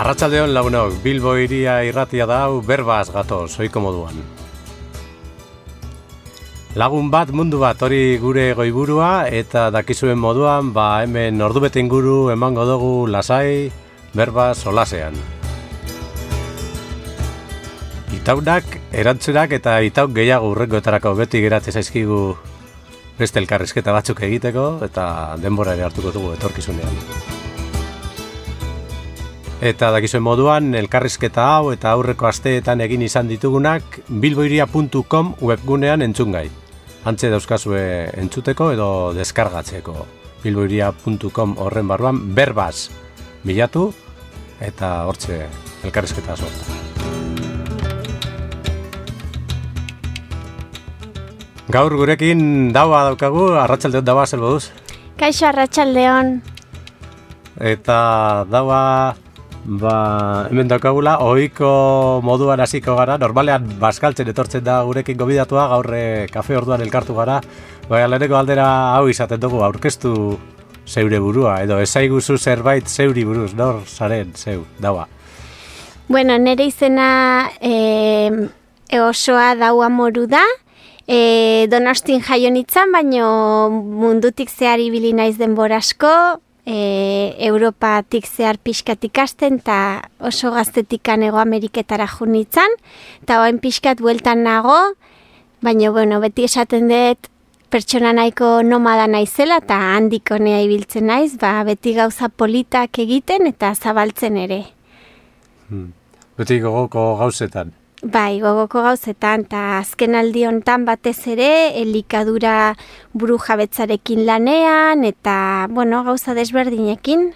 Arratsaldeon lagunok, Bilbo hiria irratia da hau berbaz gatoz, ohiko moduan. Lagun bat, mundu bat, hori gure goiburua, eta dakizuen moduan, hemen ordubete inguru emango dugu lasai, berbaz solasean. Itaunak, erantzunak eta itauk gehiago urrengoetarako beti geratzen zaizkigu beste elkarrizketa batzuk egiteko, eta denbora ere hartuko dugu etorkizunean. Eta dakizuen moduan, elkarrizketa hau eta aurreko asteetan egin izan ditugunak bilboiria.com webgunean entzungai. Hantze dauzkazue entzuteko edo deskargatzeko. bilboiria.com horren barruan berbaz bilatu eta hortze elkarrizketa sortu. Gaur gurekin daua daukagu, arratsaldeon daua, zer moduz? Kaixo, arratsaldeon. Eta daua, hemen daukagula, ohiko moduan hasiko gara, normalean bazkaltzen etortzen da gurekin gobidatua, gaur kafe orduan elkartu gara, leheneko aldera hau izaten dugu, aurkeztu zeure burua, edo ezaiguzu zerbait zeuri buruz, nor zaren zeu, daua. Bueno, nire izena osoa daua moru da, Donostin jaio nintzen, baino mundutik zehar ibili naiz denbora asko, Europatik zehar pixkat ikasten, eta oso gaztetikan Hego Ameriketara jo nintzen, eta oain pixkat bueltan nago, baina beti esaten dut pertsona nahiko nomada naizela, eta handik honea ibiltzen naiz, beti gauza politak egiten eta zabaltzen ere. Beti gogoko gauzetan. Bai, gogoko gauzetan, eta azken aldi honetan batez ere, elikadura buru jabetzarekin lanean, eta, gauza desberdinekin.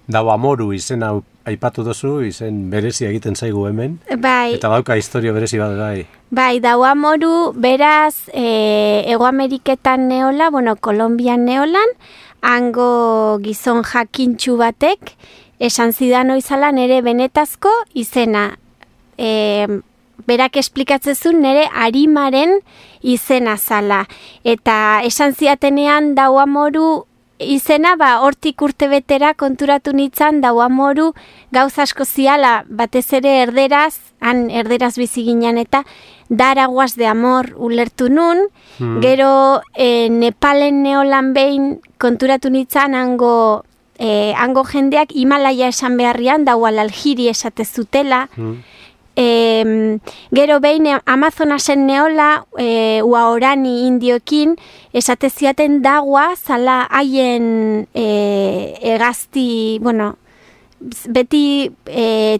Daua moru izena aipatu duzu, izen berezia egiten zaigu hemen. Bai. Eta dauka historia berezi bat, bai. Bai, daua moru, beraz, Hego Ameriketan neola, Kolonbian neolan, hango gizon jakintxu batek, esan zidan oizala nere benetazko izena. Berak esplikatzezun nire arimaren izena zala. Eta esan ziatenean daua moru izena, hortik urte betera konturatu nintzen daua moru gauza asko ziala, batez ere erderaz, han erderaz bizi ginen eta daraguaz de amor ulertu nun, gero Nepalen neolan behin konturatu nintzen hango jendeak Himalaya esan beharrian daua laljiri esate zutela, gero behin Amazonasen neola Uaorani indioekin esate ziaten daua zala haien egazti, beti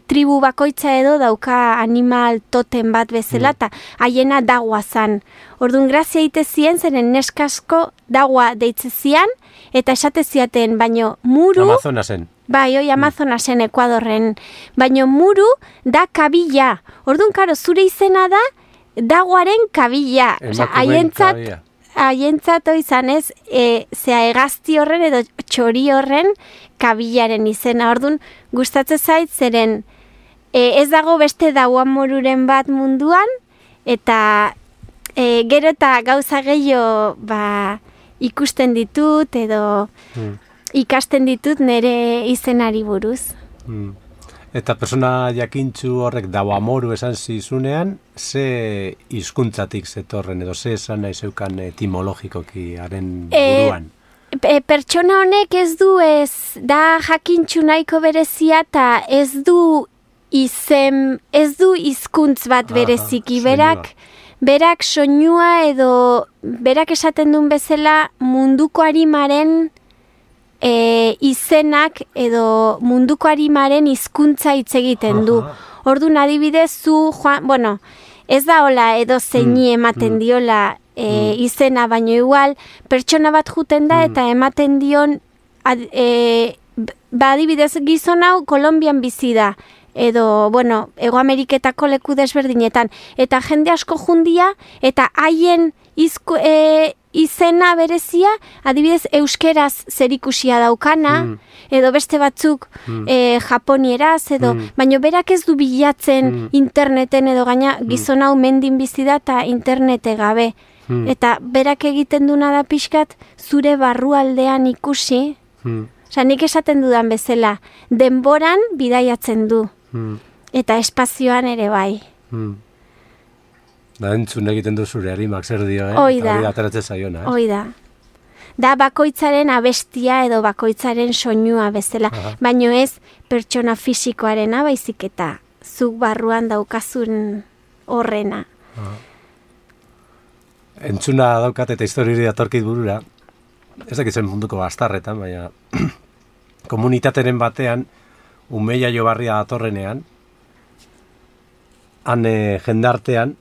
tribu bakoitza edo dauka animal totem bat bezala, eta haiena daua zan. Orduan grazia ite zien, zeren neskasko daua deitze zian, eta esate ziaten, baino muru... Amazonasen. Bai, Amazonasen Ekuadorren, baino muru da kabila. Orduan, karo, zure izena da daguaren kabila. Haientzat izan ez, zea egazti horren edo txori horren kabilaren izena. Orduan, gustatzen zait, zeren ez dago beste daua moruren bat munduan, eta gero eta gauza gehiago ikusten ditut edo... ikasten ditut nire izenari buruz. Eta persona jakintxu horrek daua moru esan zizunean, ze hizkuntzatik zetorren edo ze esan nahi zeukan etimologikoki haren buruan? Pertsona honek ez da jakintxu nahiko berezia eta ez du hizkuntz bat bereziki, berak soinua edo berak esaten duen bezala munduko arimaren izenak edo munduko arimaren hizkuntza hitz egiten du. Orduan adibidez ez da hola edo zeini ematen diola izena, baino igual pertsona bat juten da eta ematen dion adibidez gizon hau Kolonbian bizi da edo, Hego Ameriketako leku desberdinetan, eta jende asko jundia eta haien izena berezia, adibidez euskeraz zerikusia daukana, edo beste batzuk japonieraz, edo, baina berak ez du bilatzen interneten edo gaina gizon hau mendin bizi da eta internete gabe. Eta berak egiten duna da pixkat zure barrualdean ikusi, Osa, nik esaten dudan bezala, denboran bidaiatzen du. Eta espazioan ere bai. Da, entzun egiten du zure harimak zer dio, Hoi da. Hori ateratzen zaiona, Hoi da. Da bakoitzaren abestia edo bakoitzaren soinua bezala. Baino ez pertsona fisikoarena baizik eta zuk barruan daukazun horrena. Entzuna daukat eta historiari datorkit burura. Ez dakitzen munduko bastarretan, baina komunitateren batean Umeia Jobarria datorrenean, han jendartean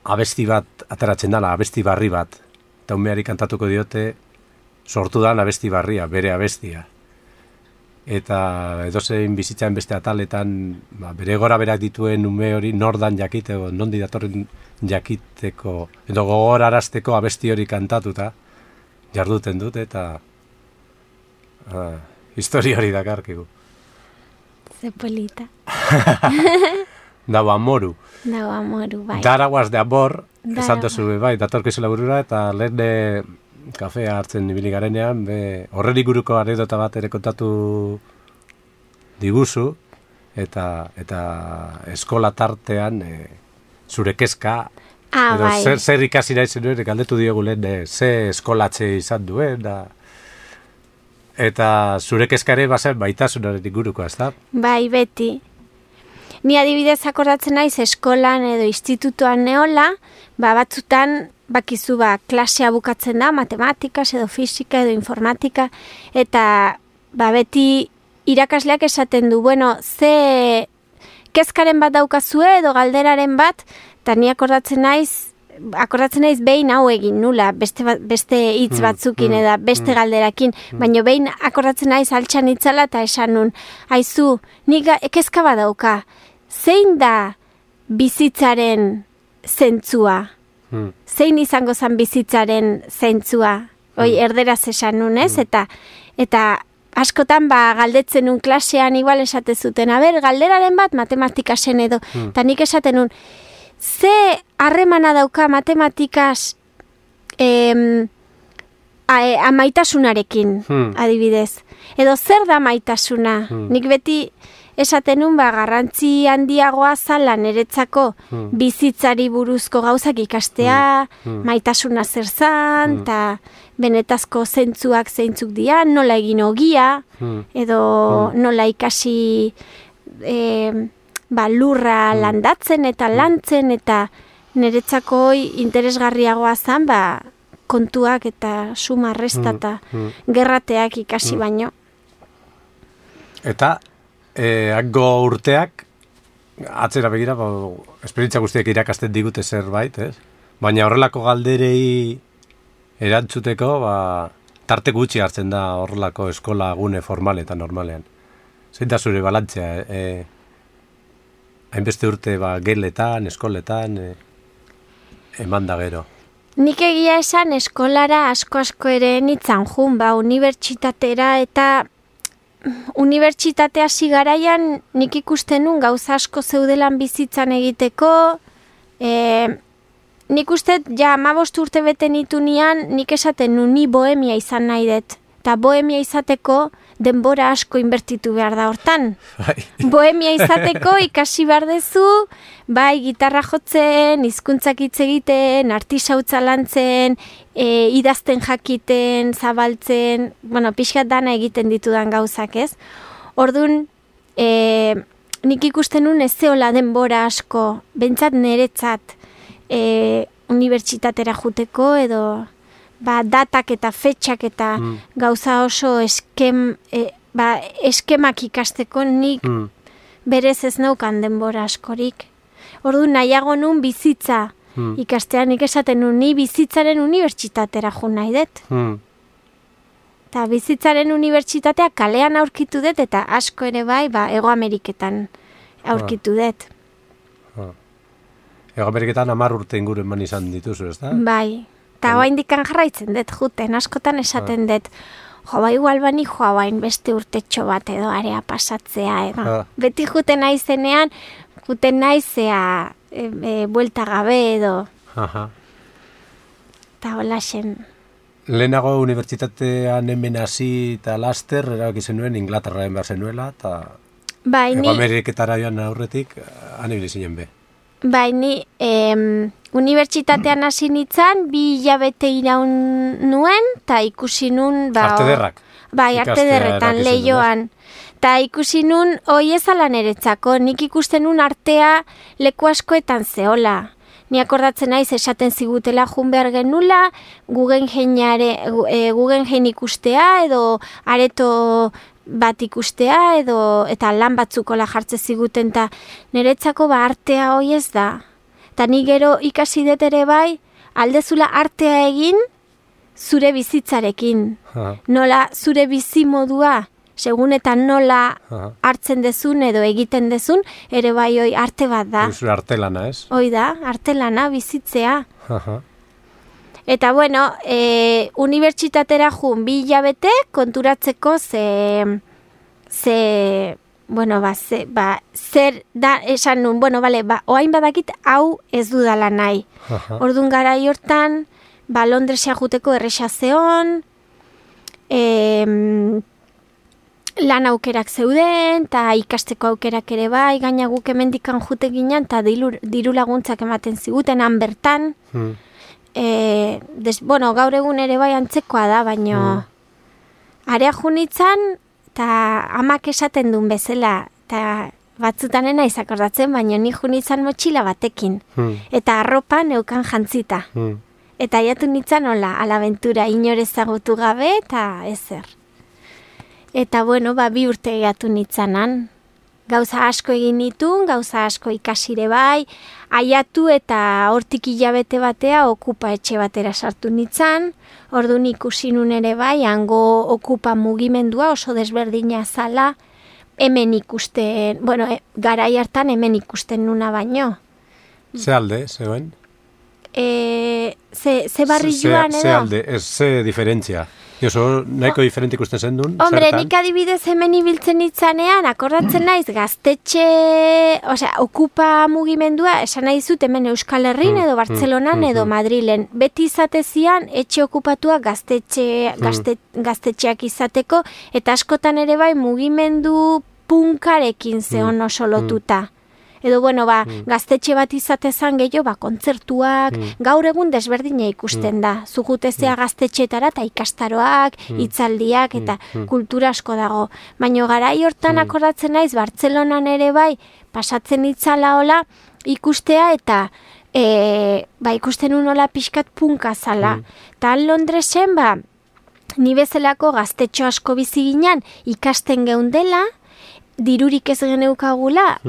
abesti bat ateratzen dela, abesti barri bat. Eta umeari kantatuko diote sortu dan abesti barria, bere abestia. Eta edozein bizitzaren beste ataletan, bere gora berak dituen ume hori nordan jakiteko, nondi datorren jakiteko, edo gogorarazteko abesti hori kantatuta, jarduten dut, eta historia hori dakarkigu. Ze polita. Dau amoru. Dau amoru, bai. Daraguaz de amor, esan duzu, bai, datorkizula burura, eta lehen kafea hartzen ibili garenean, horren iguruko anekdota bat ere kontatu diguzu, eta eskola tartean zure kezka, edo bai. zer ikasi nahi zenuen, galdetu diogu lehen, ze eskolatze izan duen, eta zure kezka ere bazen baitasunaren inguruko, ez da? Bai, beti. Ni adibidez akordatzen naiz eskolan edo institutuan neola, batzutan bakizu klasea bukatzen da, matematikaz edo fisika edo informatika, eta beti irakasleak esaten du, bueno, ze kezkaren bat daukazue edo galderaren bat, eta ni akordatzen naiz behin hau egin nula, beste hitz batzukin eta beste galderakin, baina behin akordatzen naiz altxan itzala eta esan nun, aizu, nik kezka bat dauka, zein da bizitzaren zentzua? Zein izango zen bizitzaren zentzua? Erderaz esan nun, ez? Eta askotan galdetzen nun klasean igual esate zuten, galderaren bat matematikasen edo, eta nik esaten nun, ze harremana dauka matematikaz amaitasunarekin, adibidez. Edo zer da maitasuna? Nik beti esaten nun garrantzi handiagoa zala niretzako bizitzari buruzko gauzak ikastea, maitasuna zer zan, eta benetazko zentzuak zeintzuk dian, nola egin ogia, edo nola ikasi lurra landatzen eta lantzen, eta niretzako interesgarriagoa zan, kontuak eta suma resta eta gerrateak ikasi baino. Eta hango urteak atzera begira, esperientzia guztiak irakasten digute zerbait, ez? Baina horrelako galderei erantzuteko, tarte gutxi hartzen da horrelako eskola gune formal eta normalean. Zein da zure balantzea, hainbeste urte geletan, eskoletan, eman da gero. Nik egia esan eskolara asko ere nitzan jun, unibertsitatera, eta unibertsitatea hasi garaian nik ikusten nun gauza asko zeudelan bizitzan egiteko, nik uste 15 urte bete nitunean nik esaten nun ni bohemia izan nahi dut, eta bohemia izateko denbora asko inbertitu behar da hortan. Bohemia izateko ikasi behar dezu, gitarra jotzen, hizkuntzak hitz egiten, artisautza lantzen, idazten jakiten, zabaltzen, pixkat dana egiten ditudan gauzak, ez? Orduan, nik ikusten nun ez zeola denbora asko, bentsat niretzat unibertsitatera juteko, edo datak eta fetxak eta gauza oso eskemak ikasteko nik berez ez naukan denbora askorik. Orduan nahiago nun bizitza ikastean, nik esaten nun ni bizitzaren unibertsitatera jo nahi dut. Eta bizitzaren unibertsitatea kalean aurkitu dut eta asko ere Hego Ameriketan aurkitu dut. Hego Ameriketan 10 urte inguru eman izan dituzu, ez da? Bai, eta oraindikan jarraitzen dut juten, askotan esaten dut, igual bani bain beste urtetxo bat edo area pasatzea, edo. Beti juten naizenean, juten naizea buelta gabe edo. Eta hola xen. lehenago unibertsitatean hemen hasi eta laster, erabaki zenuen Inglaterraren behar zenuela, eta Ego Ameriketara joan aurretik, han ibili zinen be. Bai, ni unibertsitatean hasi nintzen, 2 hilabete iraun nuen, eta ikusi nun... Arte derrak. Bai, arte derretan, Leioan. Eta ikusi nun, hoi ezala niretzako, nik ikusten nun artea leku askoetan zehola. Ni akordatzen naiz esaten zigutela jun behar genula, Guggenheim ikustea, edo areto bat ikustea, eta lan batzukola jartze ziguten, eta niretzako artea hoi ez da. Eta ni gero ikasi dut ere bai, aldezula artea egin zure bizitzarekin. Nola zure bizimodua, segun eta nola hartzen dezun edo egiten dezun, ere bai hoi arte bat da. Zure artelana, ez? Hoi da, artelana, bizitzea. Eta bueno, unibertsitatera jun 2 hilabete konturatzeko zer da, esan nun, oain badakit hau ez dudala nahi. Orduan garai hortan, Londresa juteko erresa zeon, lan aukerak zeuden, eta ikasteko aukerak ere bai, gaina guk hemendikan jute ginen, eta diru laguntzak ematen ziguten, han bertan. Gaur egun ere bai antzekoa da, baino area junitzen, eta amak esaten duen bezala, eta batzutanen naiz akordatzen, baino ni junitzen motxila batekin, eta arropa neukan jantzita. Eta aiatu nintzen hola, alabentura inorezagutu gabe, eta ezer. Eta 2 urte egatu nitzanan. Gauza asko egin nitun, gauza asko ikasire bai, aiatu eta hortik hilabete batea okupa etxe batera sartu nitzan, orduan ikusi nun ere bai, hango okupa mugimendua oso desberdina zala, hemen ikusten, garai hartan hemen ikusten nuna baino. Ze alde, zeuen? Ze barri joan edo? Ze alde, ze diferentzia? Oso, nahiko diferente ikusten zen duen? Hombre, nik adibidez hemen ibiltzen nitzanean, akordatzen naiz, gaztetxe, okupa mugimendua, esan nahi zut hemen Euskal Herrin edo Bartzelonan edo Madrilen. Beti izatezian, etxe okupatua gaztetxeak izateko, eta askotan ere bai mugimendu punkarekin zeon oso lotuta. Edo, gaztetxe bat izatezan gehiago, kontzertuak, gaur egun desberdina ikusten da. Zugutezea gaztetxetara eta ikastaroak, hitzaldiak eta kultura asko dago. Baina garai hortan akordatzen naiz, Bartzelonan ere bai, pasatzen itzala hola, ikustea eta ikusten unola pixkat punka zala. Eta Londresen, ni bezalako gaztetxo asko bizi ginen, ikasten geundela, dirurik ez geneukagula,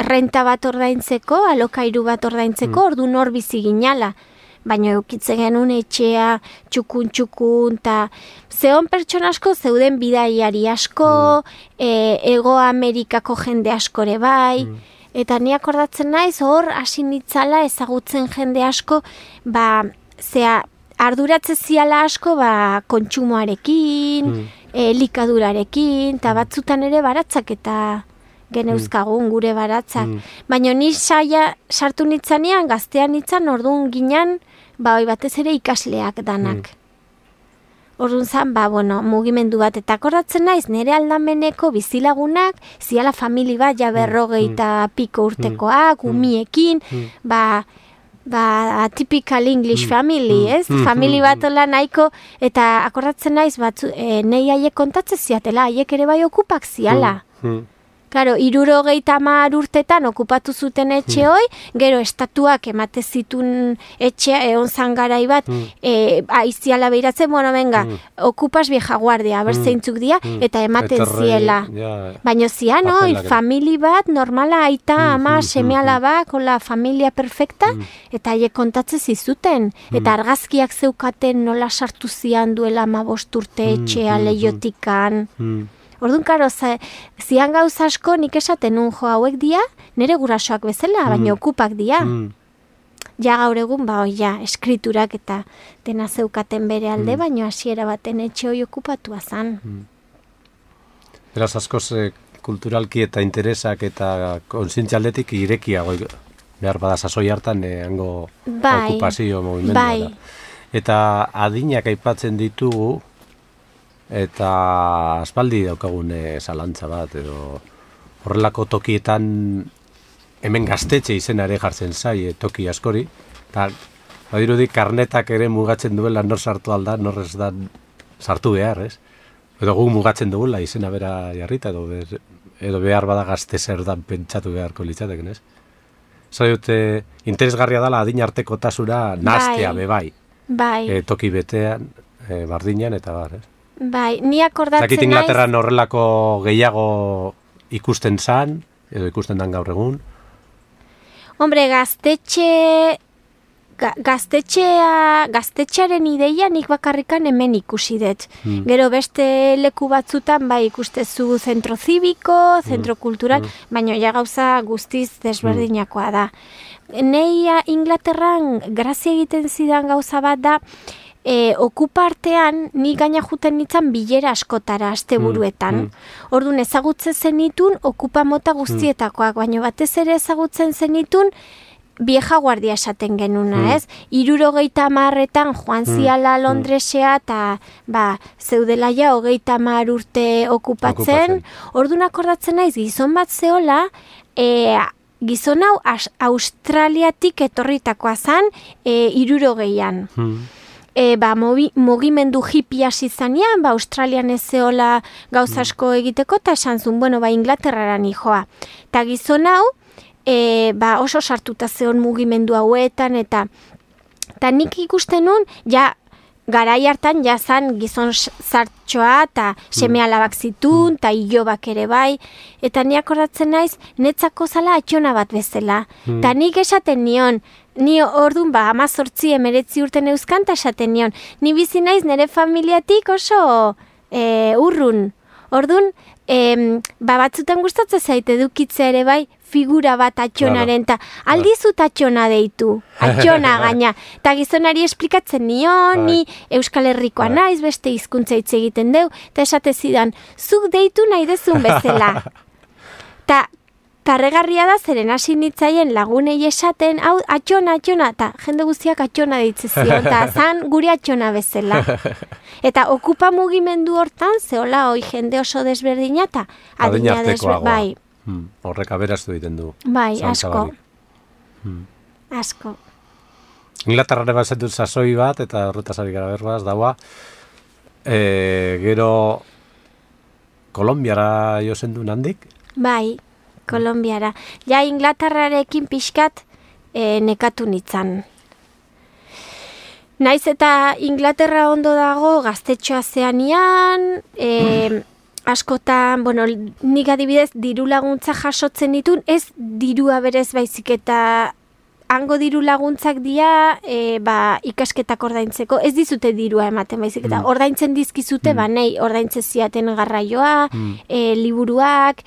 renta bat ordaintzeko, alokairu bat ordaintzeko, ordu nor bizi ginala. Baina eukitzen genuen etxea, txukun, eta zeon pertsona asko zeuden bidaiari asko, Ego Amerikako jende askore bai, eta ni akordatzen naiz, hor hasi nitzala ezagutzen jende asko, arduratze ziala asko kontsumoarekin, elikadurarekin, eta batzutan ere baratzak eta geneuzkagun gure baratzak. Baina ni sartu nitzanean, gaztean nitzan, orduan ginen, batez ere ikasleak danak. Orduan zan, mugimendu bat, eta akordatzen naiz, nire aldameneko bizilagunak, ziala famili bat, berrogei eta piko urtekoak, umiekin, typical English family, ez? Famili bat hola nahiko, eta akordatzen naiz, nahi haiek kontatzen ziatela, haiek ere bai okupak ziala. Claro, 70 urtetan okupatu zuten etxe hoi, gero estatuak emate zitun etxea, egon zan garai bat, aiziala behiratzen, okupas vieja guardia, berzeintzuk dia, eta ematen ziela. Baina zian, famili bat, normala, aita, ama, semeala bak, hola, familia perfecta, eta haiek kontatzen zizuten. Eta argazkiak zeukaten nola sartu zian duela 15 urte etxea lehiotikan. Orduan, karo, zian gauza asko nik esaten nun hauek dia, nire gurasoak bezala, baina okupak dia. Ja gaur egun, eskriturak eta dena zeukaten bere alde, baina hasiera baten etxe hoi okupatua zan. Beraz, askoz kulturalki eta interesak eta kontzientzia aldetik irekia behar bada sasoi hartan hango okupazio mugimendua da. Eta adinak aipatzen ditugu, eta aspaldi daukagune zalantza bat, edo horrelako tokietan hemen gaztetxe izena ere jartzen zai, toki askori, eta badirudi karnetak ere mugatzen duela nor sartu alda, nor ez da sartu behar, ez? Edo guk mugatzen dugula izena bera jarrita, edo behar bada gazte zer dan pentsatu beharko litzateken, ez? Zai dute, interesgarria dela adin arteko tasura naztea bebai. Bai. Toki betean, bardinan eta bar, ez? Bai, ni akordatzen naiz... Zakit Inglaterran horrelako gehiago ikusten zan, edo ikusten dan gaur egun. Hombre, gaztetxearen ideia nik bakarrikan hemen ikusi dut. Gero beste leku batzutan bai ikustezu zentro zibiko, zentro kultural, baina ja gauza guztiz desberdinakoa da. Nei Inglaterran grazia egiten zidan gauza bat da, okupartean ni gaina juten nintzen bilera askotara asteburuetan. Orduan ezagutzen zenitun okupa mota guztietakoak, baina batez ere ezagutzen zenitun vieja guardia esaten genuna, ez? 70etan joan ziala Londresea eta zeudela ja 30 urte okupatzen. Orduan akordatzen naiz gizon bat zeola, gizon hau Australiatik etorritakoa zan 60ean. Mugimendu hippie hasi zanean, Australian ez zeola gauza asko egiteko, eta esan zuen, Inglaterraran joa. Eta gizon hau, oso sartuta zeon mugimendu hauetan, eta nik ikusten nun, garai hartan zan gizon zartxoa, eta seme alabak zitun, eta ilobak ere bai, eta ni akordatzen naiz, netzako zala atxona bat bezala. Eta nik esaten nion, ni orduan 18-19 urten euskan, eta esaten nion, ni bizi naiz nire familiatik oso urrun. Orduan, batzutan gustatzen zaite edukitzea ere bai, figura bat atxonaren, eta aldizut atxona deitu, atxona gaina. Eta gizonari esplikatzen nion, ni Euskal Herrikoa naiz, beste hizkuntza hitz egiten deu, eta esate zidan, zuk deitu nahi dezun bezala. Eta karregarria da zeren hasi nitzaien lagunei esaten, hau atxona, eta jende guztiak atxona deitze zion, eta zan gure atxona bezala. Eta okupa mugimendu hortan, zehola hoi jende oso desberdina, eta adina desberdina, bai. Horrek aberaztu egiten du. Bai, asko. Asko. Inglaterrare bat zetut sasoi bat, eta horretaz ari gara berbaz, daua, gero Kolombiara jo zendu handik? Bai, Kolombiara. Ja, Inglaterrarekin pixkat nekatu nitzan. Naiz eta Inglaterra ondo dago gaztetxoa zeanian, askotan, nik adibidez diru laguntza jasotzen ditun, ez dirua berez baizik eta hango diru laguntzak dira ikasketak ordaintzeko, ez dizute dirua ematen baizik eta ordaintzen dizkizute, nei ordaintzen ziaten garraioa, liburuak,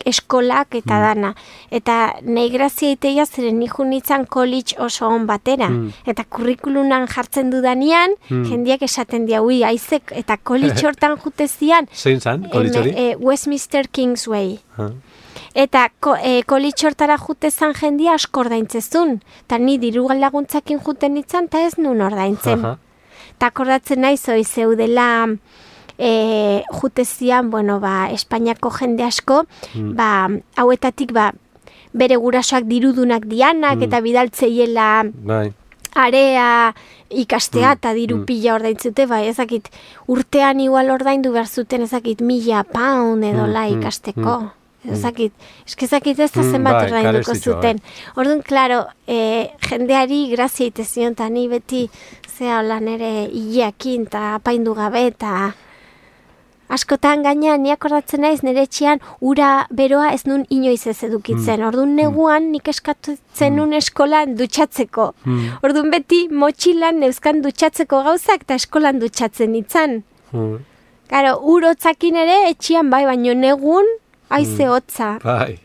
eskolak eta dana. Eta nahi grazia iteia zeren nijo nintzen college oso on batera. Eta kurrikulunan jartzen dudanean, jendiak esaten dia, aizek, eta college hortan jute zian. Zein zan, college hori? Westminster Kingsway. Eta kolitxortara jute zan jendia asko ordaintzezun. Eta ni diru laguntzakin juten nintzen, eta ez nun ordaintzen. Eta akordatzen nahi zoi zeudela jute zian, Espainiako jende asko, hauetatik bere gurasoak dirudunak dianak, eta bidaltzeiela area ikastea, eta diru pila ordaintzute, ezakit, urtean igual ordaindu behar zuten, ezakit, 1.000 pound edola ikasteko. Ezakit ez da zenbat ordainduko zuten. Orduan, klaro, jendeari grazia itezion, eta ni beti zea hola nere hileakin, eta apaindu gabe, eta askotan gaina, ni akordatzen naiz nire etxean ura beroa ez nun inoiz ez edukitzen. Orduan neguan nik eskatutzen nun eskolan dutxatzeko. Orduan beti motxilan neuzkan dutxatzeko gauzak, eta eskolan dutxatzen nintzen. Claro, urotzakin ere etxean baino negun aize hotza. Bai.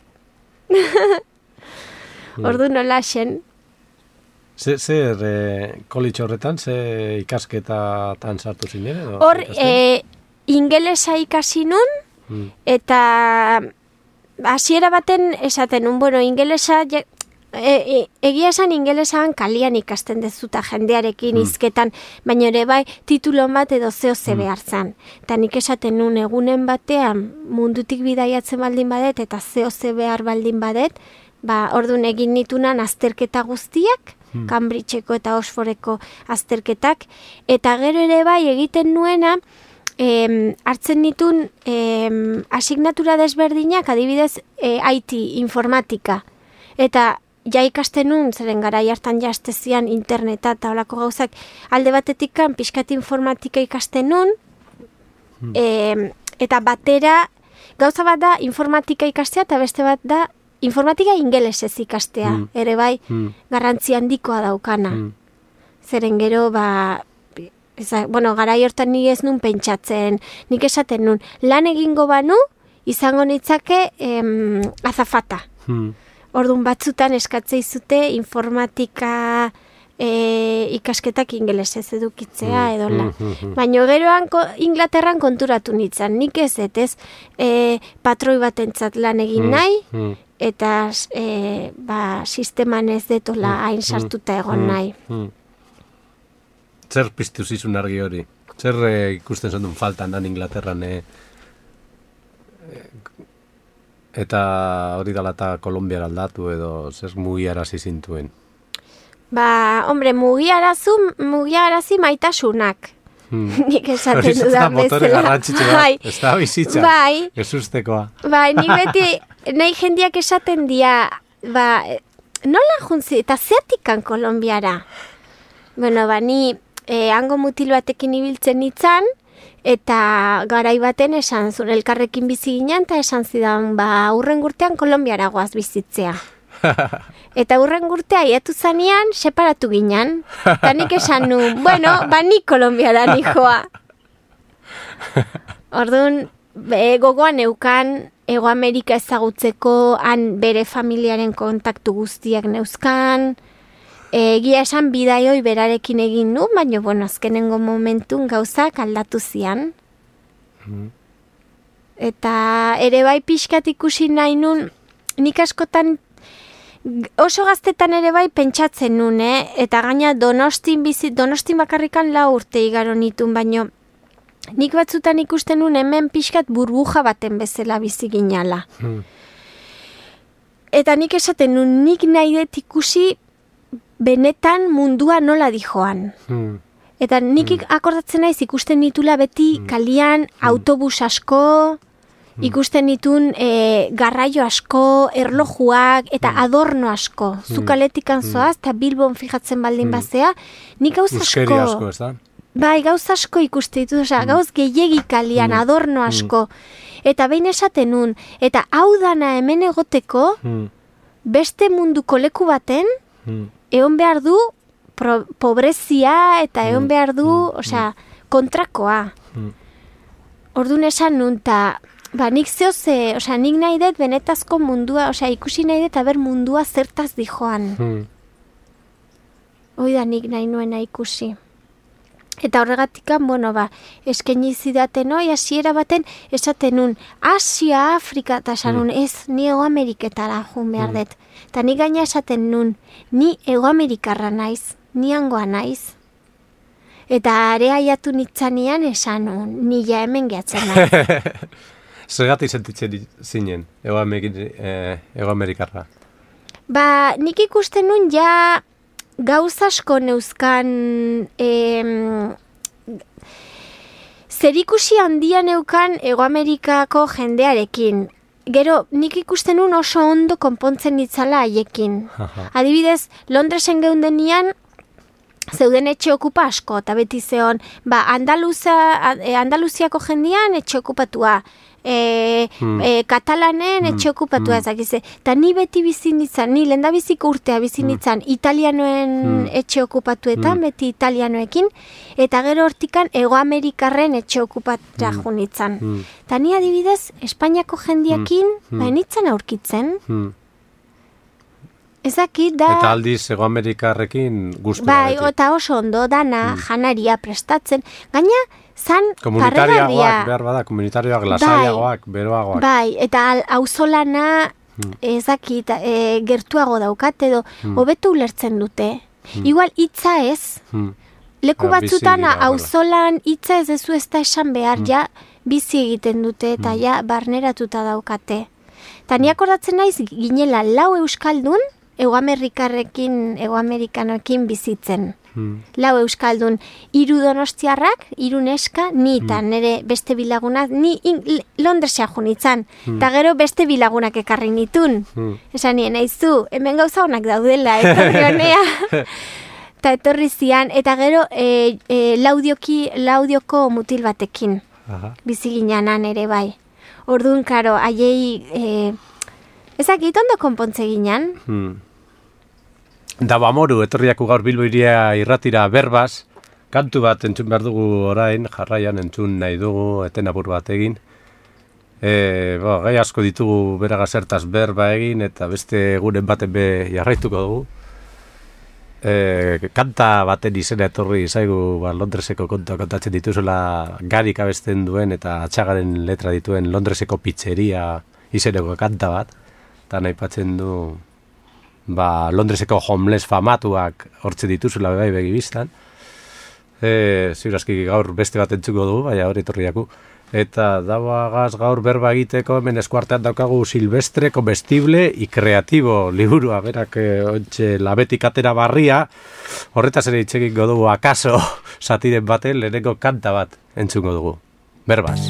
Ordu nola xen. Zer college horretan, ze ikasketatan sartu zinen? Hor, ingelesa ikasi nun, eta hasiera baten esaten nun, ingelesa egia esan ingelesan kalian ikasten dezuta jendearekin hizketan, baina ere bai titulon bat edo zeo behar zan. Eta nik esaten nun egunen batean mundutik bidaiatzen baldin badet eta zeo behar baldin badet, orduan egin nitunan azterketa guztiak, Cambridgeko eta Oxfordeko azterketak, eta gero ere bai egiten nuena, hartzen nitun asignatura desberdinak, adibidez IT, informatika, eta ja ikasten nun, zeren garai hartan jaztezian interneta eta holako gauzak, alde batetik pixkat informatika ikasten nun, eta batera, gauza bat da informatika ikastea, eta beste bat da informatika ingelesez ikastea, ere bai, garrantzi handikoa daukana. Zeren gero, garai hortan ni ez nun pentsatzen, nik esaten nun, lan egingo banu, izango nitzake azafata. Orduan batzutan eskatzei zute informatika ikasketak ingelesez edukitzea edola. Baina geroan Inglaterran konturatu nintzen, nik ez patroi batentzat lan egin nahi, eta sisteman ez detola hain sartuta egon nahi. Zer piztu zizun argi hori? Zer ikusten zendun faltan dan Inglaterran eta hori dala eta Kolombiara aldatu edo zer mugiarazi zintuen? Mugiarazi maitasunak. Nik esaten dudan bezala. Motore garrantzitsu bat, ez da bizitza, ez ustekoa. Nik beti, nahi jendiak esaten dia, nola juntzi, eta zeatikan Kolombiara? Ni hango mutil batekin ibiltzen nitzan, eta garai baten esan zuen elkarrekin bizi ginen, eta esan zidan, hurren urtean Kolombiara goaz bizitzea. Eta hurren urtea iatu zanean, separatu ginen. Eta nik esan nun, ni Kolombiara nijoa. Orduan, gogoan eukan, Ego Amerika ezagutzeko, han bere familiaren kontaktu guztiak neuzkan, egia esan bidaioi berarekin egin nu, baina, azkenengo momentun gauzak aldatu zian. Eta ere bai pixkat ikusi nahi nun, nik askotan, oso gaztetan ere bai pentsatzen nun, eta gaina Donostin bakarrikan 4 urte igaro nitun, baina nik batzutan ikusten nun hemen pixkat burbuja baten bezala bizi ginala. Eta nik esaten nun, nik nahi dut ikusi benetan mundua nola dijoan. Eta nik akordatzen naiz ikusten nitula beti kalian autobus asko, ikusten ditun garraio asko, erlojuak eta adorno asko. Zukaletikan zoaz, eta Bilbon fijatzen baldin bazea, nik gauz asko... Uskeri asko, ez da? Bai, gauz asko ikusten ditut, gauz gehiegi kalian, adorno asko. Eta behin esaten nun, eta hau dana hemen egoteko, beste munduko leku baten, egon behar du pobrezia eta egon behar du, kontrakoa. Orduan esan nun, nik nik nahi dut benetazko mundua, ikusi nahi dut aber mundua zertaz dijoan. Hoi da nik nahi nuena ikusi. Eta horregatikan, eskaini zidaten, hasiera baten, esaten nun, Asia, Afrika, eta esan nun, ez, ni Ego Ameriketara jun behar dut. Eta ni gaina esaten nun, ni Ego Amerikarra naiz, ni hangoa naiz. Eta area aiatu nitzanean esan nun, ni ja hemen gehatzen naiz. Zergatik sentitzen zinen, Ego Amerikarra? Nik ikusten nun ja gauz asko neuzkan zerikusi handia neukan Ego Amerikako jendearekin. Gero, nik ikusten nun oso ondo konpontzen nitzala haiekin. Adibidez, Londresen geundenian, zeuden etxe okupa asko, eta beti zeon, Andaluziako jendean etxe okupatua, Katalanen etxe okupatua ezakize. Eta ni beti bizi nintzen, ni lehendabiziko urtea bizi nintzen italianoen etxe okupatuetan, beti italianoekin, eta gero hortikan Ego Amerikarren etxe okupatra jo nintzen. Eta ni adibidez, Espainiako jendeakin, nintzen aurkitzen. Ezakit da... Eta aldiz Ego Amerikarrekin guztu. Bai, eta oso ondo dana janaria prestatzen. Gaina, zan parregarria. Behar bada, komunitarioak, lasaiagoak, beroagoak. Bai, eta auzolana ezakit, gertuago daukat edo hobeto ulertzen dute. Igual hitza ez, leku batzutan auzolan hitza ez dezu ez da esan behar, ja bizi egiten dute eta ja barneratuta daukate. Eta ni akordatzen naiz ginela 4 euskaldun Egoamerikanoekin bizitzen. 4 euskaldun, 3 donostiarrak, 3 neska, ni eta nire beste bilagunak, ni Londresea junitzen, eta gero beste bilagunak ekarri nitun. Esan nien, aizu, hemen gauza honak daudela, etorri honea. Eta etorri zian, eta gero laudioko mutil batekin. Bizi ginanan ere bai. Orduan, karo, haiei, ezakit ondo konpontze ginen. Da bamoru, etorriako gaur Bilbo iria irratira berbaz, kantu bat entzun behar dugu orain, jarraian entzun nahi dugu, eten apur bat egin. Gai asko ditugu beraga zertaz berba egin, eta beste guren baten be jarraituko dugu. Kanta baten izena etorri zaigu Londreseko kontua kontatzen dituzela Garik abesten duen eta Atxagaren letra dituen Londreseko pizzeria izeneko kanta bat, eta nahi patzen du Londreseko homeless famatuak hortze dituzula bai begibistan. Ziurazki gaur beste bat entzuko dugu, baina hori etorriaku. Eta dauagaz gaur berba egiteko, hemen eskuartean daukagu Silvestre, Comestible y Creativo liburua, berak ontxe labetik atera barria, horretaz ere itxekiko dugu akaso satiren baten lehenengo kanta bat entzungo dugu. Berbaz.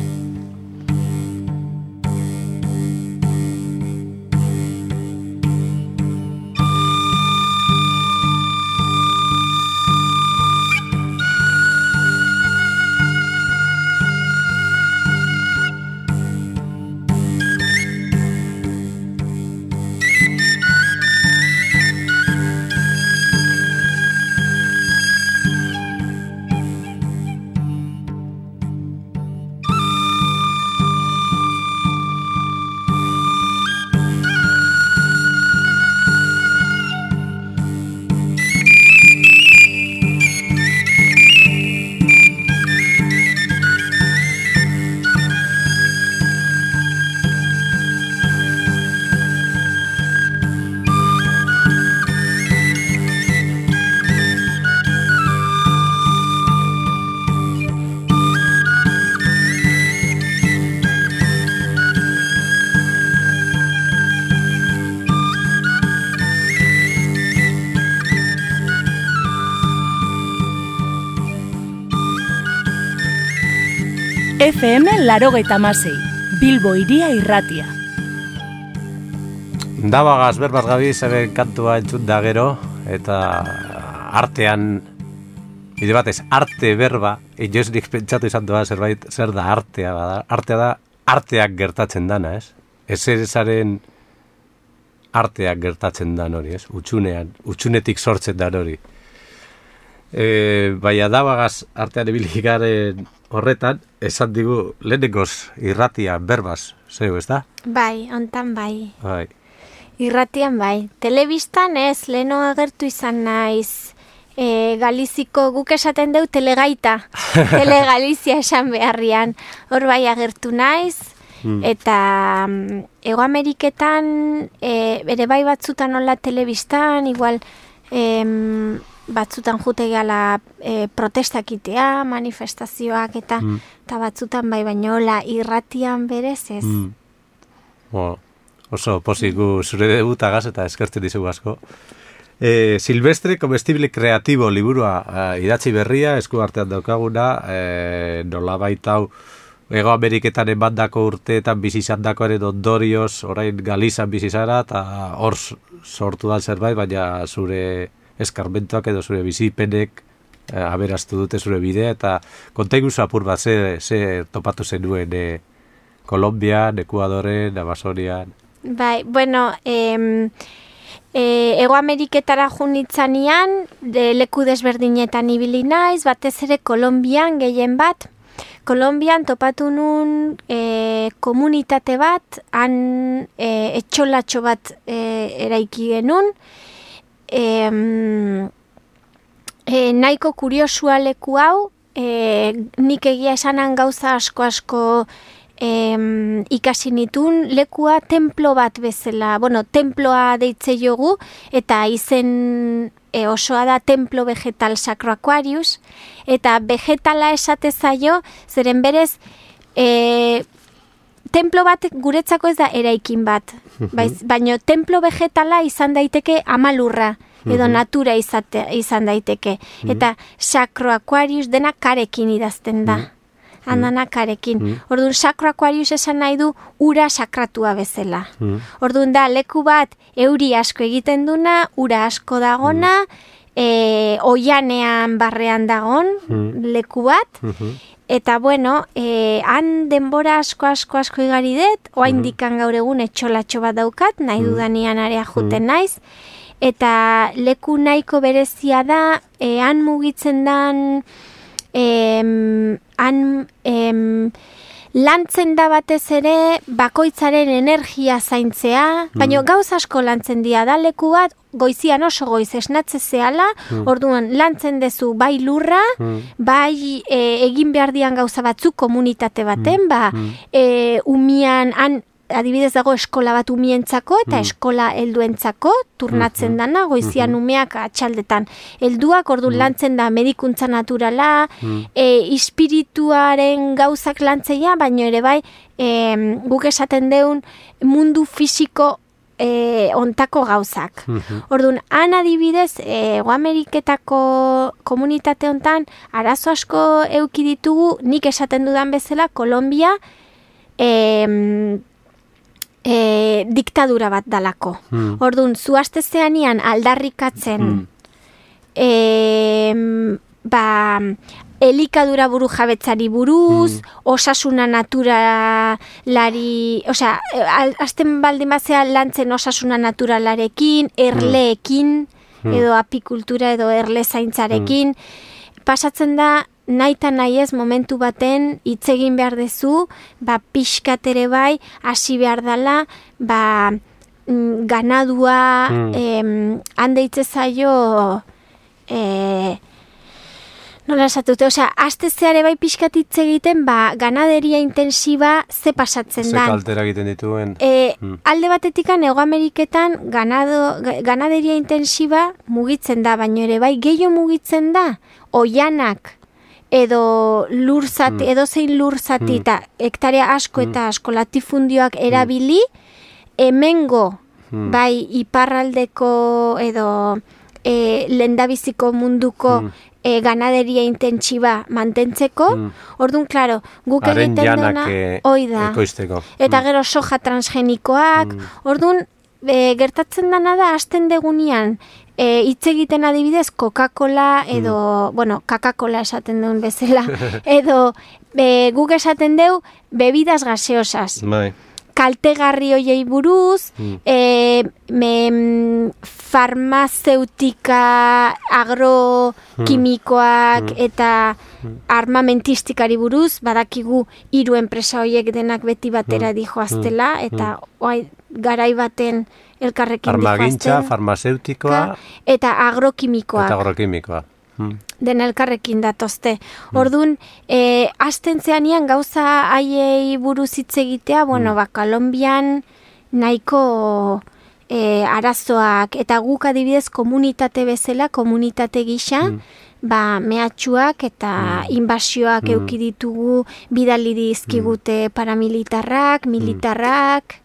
FM 86, Bilbo iria irratia. Dabagaz, berbaz gabiz, hemen kantua entzun da gero, eta artean, bide batez, arte berba, inoz nik pentsatu izan doa zerbait, zer da artea bada. Artea da, arteak gertatzen dana, ez? Ezaren arteak gertatzen dan hori, ez? Utsunetik sortzen dan hori. Baina dabagaz artean ibilikaren horretan, esan digu lehenengoz irratia berbaz, zeu, ez da? Bai, ontan bai. Irratian bai. Telebistan ez, leheno agertu izan naiz, Galiziko guk esaten deu telegaita, telegalizia esan beharrian, hor bai agertu naiz, eta Egoameriketan, ere bai batzutan hola telebistan, igual, batzutan jute gala protestak itea, manifestazioak eta batzutan bai, baina hola irratian berez ez. Oso posiku zure debutagaz eta eskertzen dizugu asko. Silvestre, Comestible Creativo liburua idatzi berria, esku artean daukaguna, nolabait hau Egoameriketan emandako urteetan bizizandako ere ondorioz, orain Galizan bizizara, eta hor sortu da zerbait, baina zure eskarmentoak edo zure bizipenek aberaztu dute zure bidea, eta kontaigu apur bat ze topatu zenuen Kolombian, Ekuadoren, Amazonian. Bai, bueno, Egoameriketara junitzanean, leku desberdinetan ibili naiz, batez ere Kolombian gehien bat. Kolombian topatu nun komunitate bat, han etxolatxo bat eraiki genuen, nahiko kuriosua leku hau, nik egia esanan gauza asko ikasi nitun lekua templo bat bezala, temploa deitze jogu, eta izen osoa da Templo Vegetal Sacro Aquarius, eta vegetala esate zaio, zeren berez, templo bat guretzako ez da eraikin bat, baina templo vegetala izan daiteke amalurra, edo natura izan daiteke. Eta Sacro Aquarius dena karekin idazten da. Andana karekin. Orduan, Sacro Aquarius esan nahi du ura sakratua bezala. Orduan da, leku bat euri asko egiten duna, ura asko dagona, oianean barrean dagon leku bat, eta han denbora asko igari dut, oaindikan gaur egun etxolatxo bat daukat, nahi dudanian area juten naiz, eta leku nahiko berezia da, han mugitzen dan, lantzen da batez ere bakoitzaren energia zaintzea, baina gauz asko lantzen dira da leku bat, goizian oso goiz esnatze zehala, orduan lantzen dezu bai lurra, bai egin behar dian gauza batzuk komunitate baten, umian, adibidez dago eskola bat umientzako eta eskola helduentzako turnatzen dana, goizian umeak atxaldetan helduak, orduan lantzen da medikuntza naturala, espirituaren gauzak lantzeia, baina ere bai guk esaten deun mundu fisiko ontako gauzak. Orduan, han adibidez, Ameriketako komunitate hontan arazo asko euki ditugu, nik esaten dudan bezala, Kolombia diktadura bat dalako. Orduan, zuazte zeanian aldarrikatzen elikadura buru jabetzari buruz, osasuna naturalari, azten baldin bazea lantzen osasuna naturalarekin, erleekin, edo apikultura edo erle zaintzarekin, pasatzen da, nahi eta nahi ez momentu baten hitz egin behar dezu, pixkat ere bai, hasi behar dela, ganadua, handeitze zaio, nola esatute, aste zeare bai pixkat hitz egiten, ganaderia intensiba ze pasatzen da. Ze kaltera egiten dituen. Alde batetikan, Hego Ameriketan, ganaderia intensiba mugitzen da, baina ere bai gehiago mugitzen da, oianak, edo zein lur zati eta hektarea asko eta asko latifundioak erabili, hemengo bai iparraldeko edo lehendabiziko munduko ganaderia intentsiba mantentzeko, orduan, klaro, guk egiten duna, oida, eta gero soja transgenikoak, orduan, gertatzen dana da, hasten degunian, hitz egiten adibidez Coca-Cola edo, Coca-Cola esaten duen bezala, edo guk esaten deu bebidas gaseosas. Kaltegarri hoiei buruz, farmazeutika, agrokimikoak eta armamentistikari buruz, badakigu 3 enpresa hoiek denak beti batera dijoaztela, eta garai baten elkarrekin farmagintza, farmazeutikoa eta agrokimikoak. Den elkarrekin datozte. Orduan, hasten zeanian gauza haiei buruz hitz egitea, Kolombian nahiko arazoak, eta guk adibidez komunitate bezala, komunitate gisa, mehatxuak eta inbasioak euki ditugu, bidali dizkigute paramilitarrak, militarrak.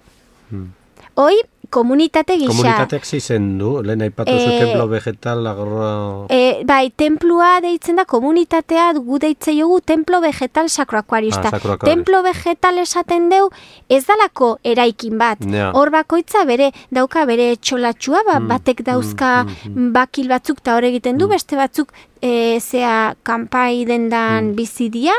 Hoi, komunitate gisa. Komunitateak zizen du, lehen aipatu zu templo vegetal agro... Bai, templua deitzen da, komunitatea gu deitze jogu templo vegetal Sacro Aquarius. Templo vegetal esaten deu, ez dalako eraikin bat. Hor bakoitza dauka bere txolatxua, batek dauzka bakil batzuk eta hor egiten du, beste batzuk zea kanpai dendan bizidia,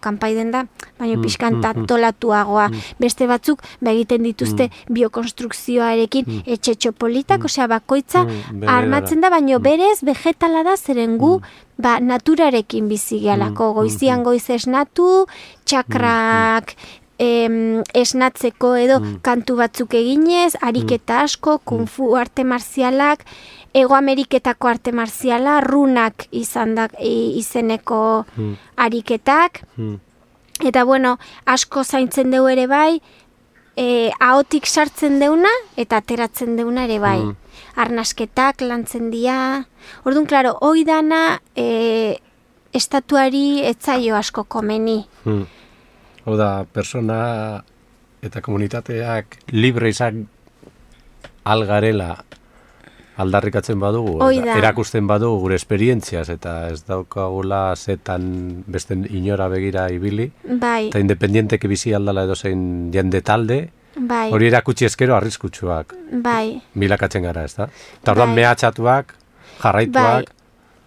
kanpai denda, baina pixkan tolatuagoa. Beste batzuk egiten dituzte biokonstrukzioarekin etxetxo politak, bakoitza armatzen da, baina berez vegetala da zeren gu naturarekin bizi gehalako, goizian goiz esnatu, txakrak esnatzeko edo kantu batzuk eginez, ariketa asko, kung fu arte marzialak, Hego Ameriketako arte marziala, runak izeneko ariketak, Eta bueno, asko zaintzen deu ere bai, ahotik sartzen deuna eta ateratzen deuna ere bai. Arnasketak lantzen dira. Orduan, klaro, hoi dana estatuari etzaio asko komeni. Hau da, persona eta komunitateak libre izan algarela aldarrikatzen badugu, erakusten badugu gure esperientziaz, eta ez daukagula zetan beste inora begira ibili, bai. Eta independienteki bizi aldala edozein jende talde, bai. Hori erakutsi eskero arriskutsuak bai. Bilakatzen gara, ez da? Eta orduan mehatxatuak, jarraituak, bai.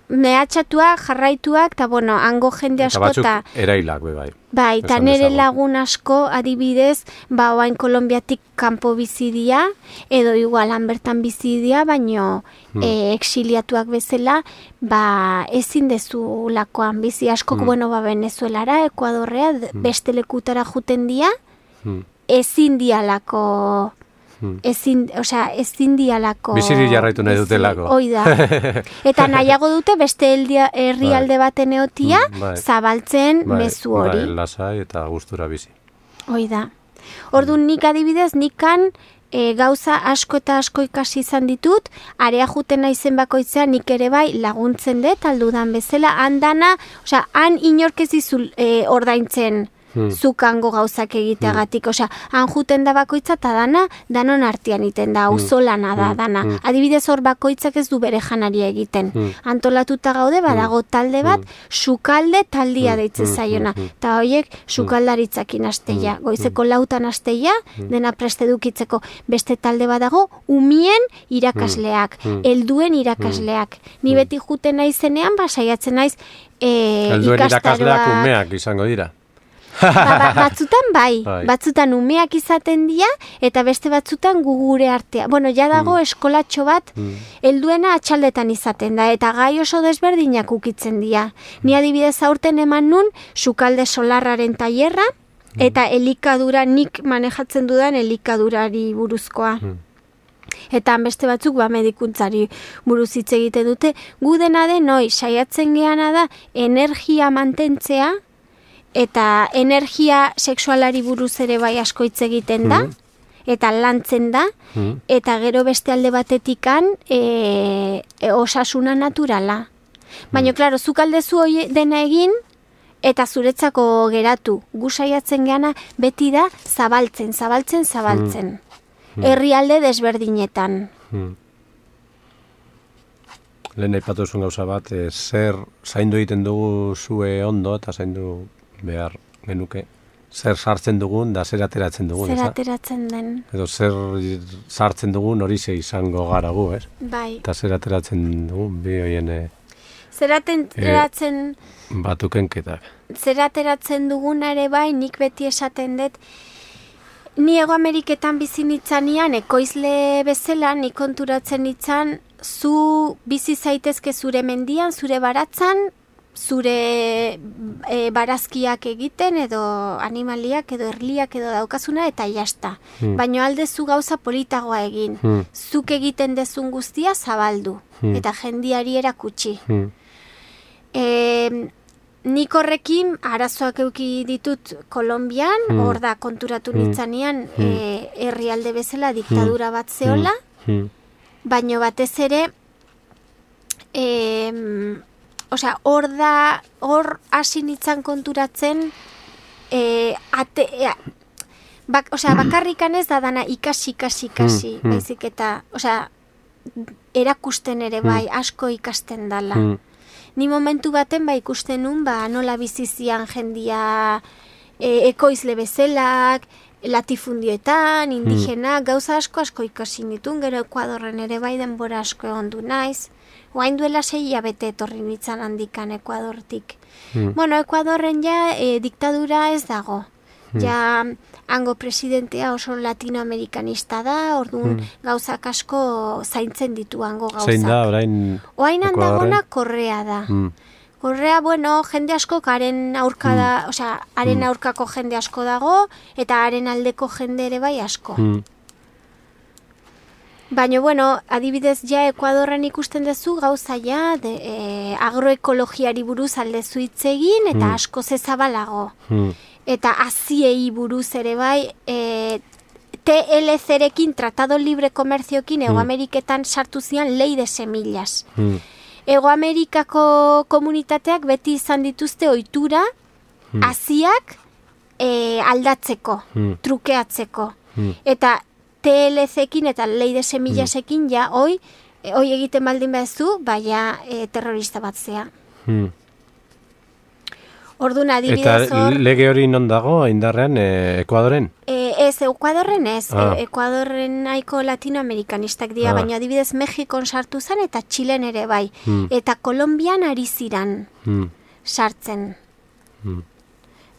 Mehatxatuak, jarraituak, eta bueno, hango jende asko, eta batzuk erailak, bai. Bai, eta nire lagun asko, adibidez, oain Kolombiatik kanpo bizidia, edo igual han bertan bizidia, baino exiliatuak bezala, ezin dezu lakoan bizi askok, Venezuelara, Ekuadorrea, beste lekutara juten dia, ezin dialako... ezin dialako... Biziri jarraitu nahi dutelako. Hoi da. Eta nahiago dute beste herrialde baten eotia, zabaltzen mezu hori. Bai, lasai eta gustura bizi. Hoi da. Orduan nik adibidez, nikan gauza asko eta asko ikasi izan ditut, area juten naizen bakoitzean nik ere bai laguntzen dut, aldudan bezala, han inork ez dizul ordaintzen zukango gauzak egiteagatik, han juten da bakoitza eta danon artean iten da, auzolana da dana. Adibidez hor bakoitzak ez du bere janaria egiten. Antolatuta gaude, badago talde bat, sukalde taldia deitzen zaiona. Eta horiek sukaldaritzakin asteia, goizeko 4 asteia, dena preste dukitzeko. Beste talde badago, umien irakasleak, helduen irakasleak. Ni beti juten naizenean, saiatzen naiz ikastaroak. Helduen irakasleak umeak izango dira. Batzutan batzutan umeak izaten dira, eta beste batzutan gugure artea. Bueno, ja dago eskolatxo bat, helduena atxaldetan izaten da, eta gai oso desberdinak ukitzen dira. Ni adibidez aurten eman nun, sukalde solarraren tailerra, eta elikadura, nik manejatzen dudan elikadurari buruzkoa. Eta beste batzuk medikuntzari buruz hitz egiten dute. Gu dena den, saiatzen geana da, energia mantentzea, eta energia sexualari buruz ere bai asko hitz egiten da, eta lantzen da, eta gero beste alde batetikan osasuna naturala. Baina, klaro, zuk aldezu dena egin, eta zuretzako geratu. Gu saiatzen geana beti da zabaltzen. Herrialde desberdinetan. Lehen aipatu zuen gauza bat, zer zaindu egiten dugu zue ondo, eta zaindu behar genuke, zer sartzen dugun da zer ateratzen dugun, zer ateratzen den. Edo zer sartzen dugun hori ze izango gara gu, ez? Bai. Eta zer ateratzen dugun, bi hoien... Zer ateratzen... Batukenketak. Zer ateratzen dugun ere bai, nik beti esaten dut, ni Hego Ameriketan bizi nitzanian, ekoizle bezala, nik konturatzen nitzan, zu bizi zaitezke zure mendian, zure baratzan, zure barazkiak egiten, edo animaliak, edo erliak, edo daukazuna, eta jasta. Baina aldezu gauza politagoa egin. Zuk egiten dezun guztia zabaldu, eta jendiari erakutsi. Nik horrekin arazoak euki ditut Kolombian, hor da konturatu nintzanean herrialde bezala diktadura bat zeola, baino batez ere hor hasi nintzan konturatzen bakarrikan ez da dana ikasi, baizik eta erakusten ere bai, asko ikasten dala. Ni momentu baten ikusten nun, nola bizizian jendia ekoizle bezelak, latifundioetan, indigenak, gauza asko ikasi nitun, gero Ekuadorren ere bai denbora asko egon du naiz. Oain duela 6 hilabete etorri nintzan handikan Ekuadortik. Bueno, Ekuadorren diktadura ez dago. Ja, hango presidentea oso latinoamerikanista da, orduan gauzak asko zaintzen ditu hango gauzak. Zein da, orain... Oain handagona Korrea da. Korrea, jende asko haren aurka da, haren aurkako jende asko dago, eta haren aldeko jende ere bai asko. Baina, adibidez Ekuadorren ikusten duzu gauza agroekologiari buruz aldezu hitz egin, eta asko zezabalago. eta aziei buruz ere bai, TLC-rekin, Tratado Libre Komerzioekin, Ego Ameriketan sartu zian lei de semillas. Ego Amerikako komunitateak beti izan dituzte ohitura aziak aldatzeko, trukeatzeko. Eta TLC-ekin eta lei de semillasekin ja hoi egiten baldin bezu, baina terrorista bat zea. Orduan adibidez hor... Eta lege hori non dago, indarrean, Ekuadoren? Ez, Ekuadorren ez. Ekuadorren nahiko latinoamerikanistak dira, baina adibidez Mexikon sartu zen eta Txilen ere bai. Eta Kolombian ari ziran sartzen.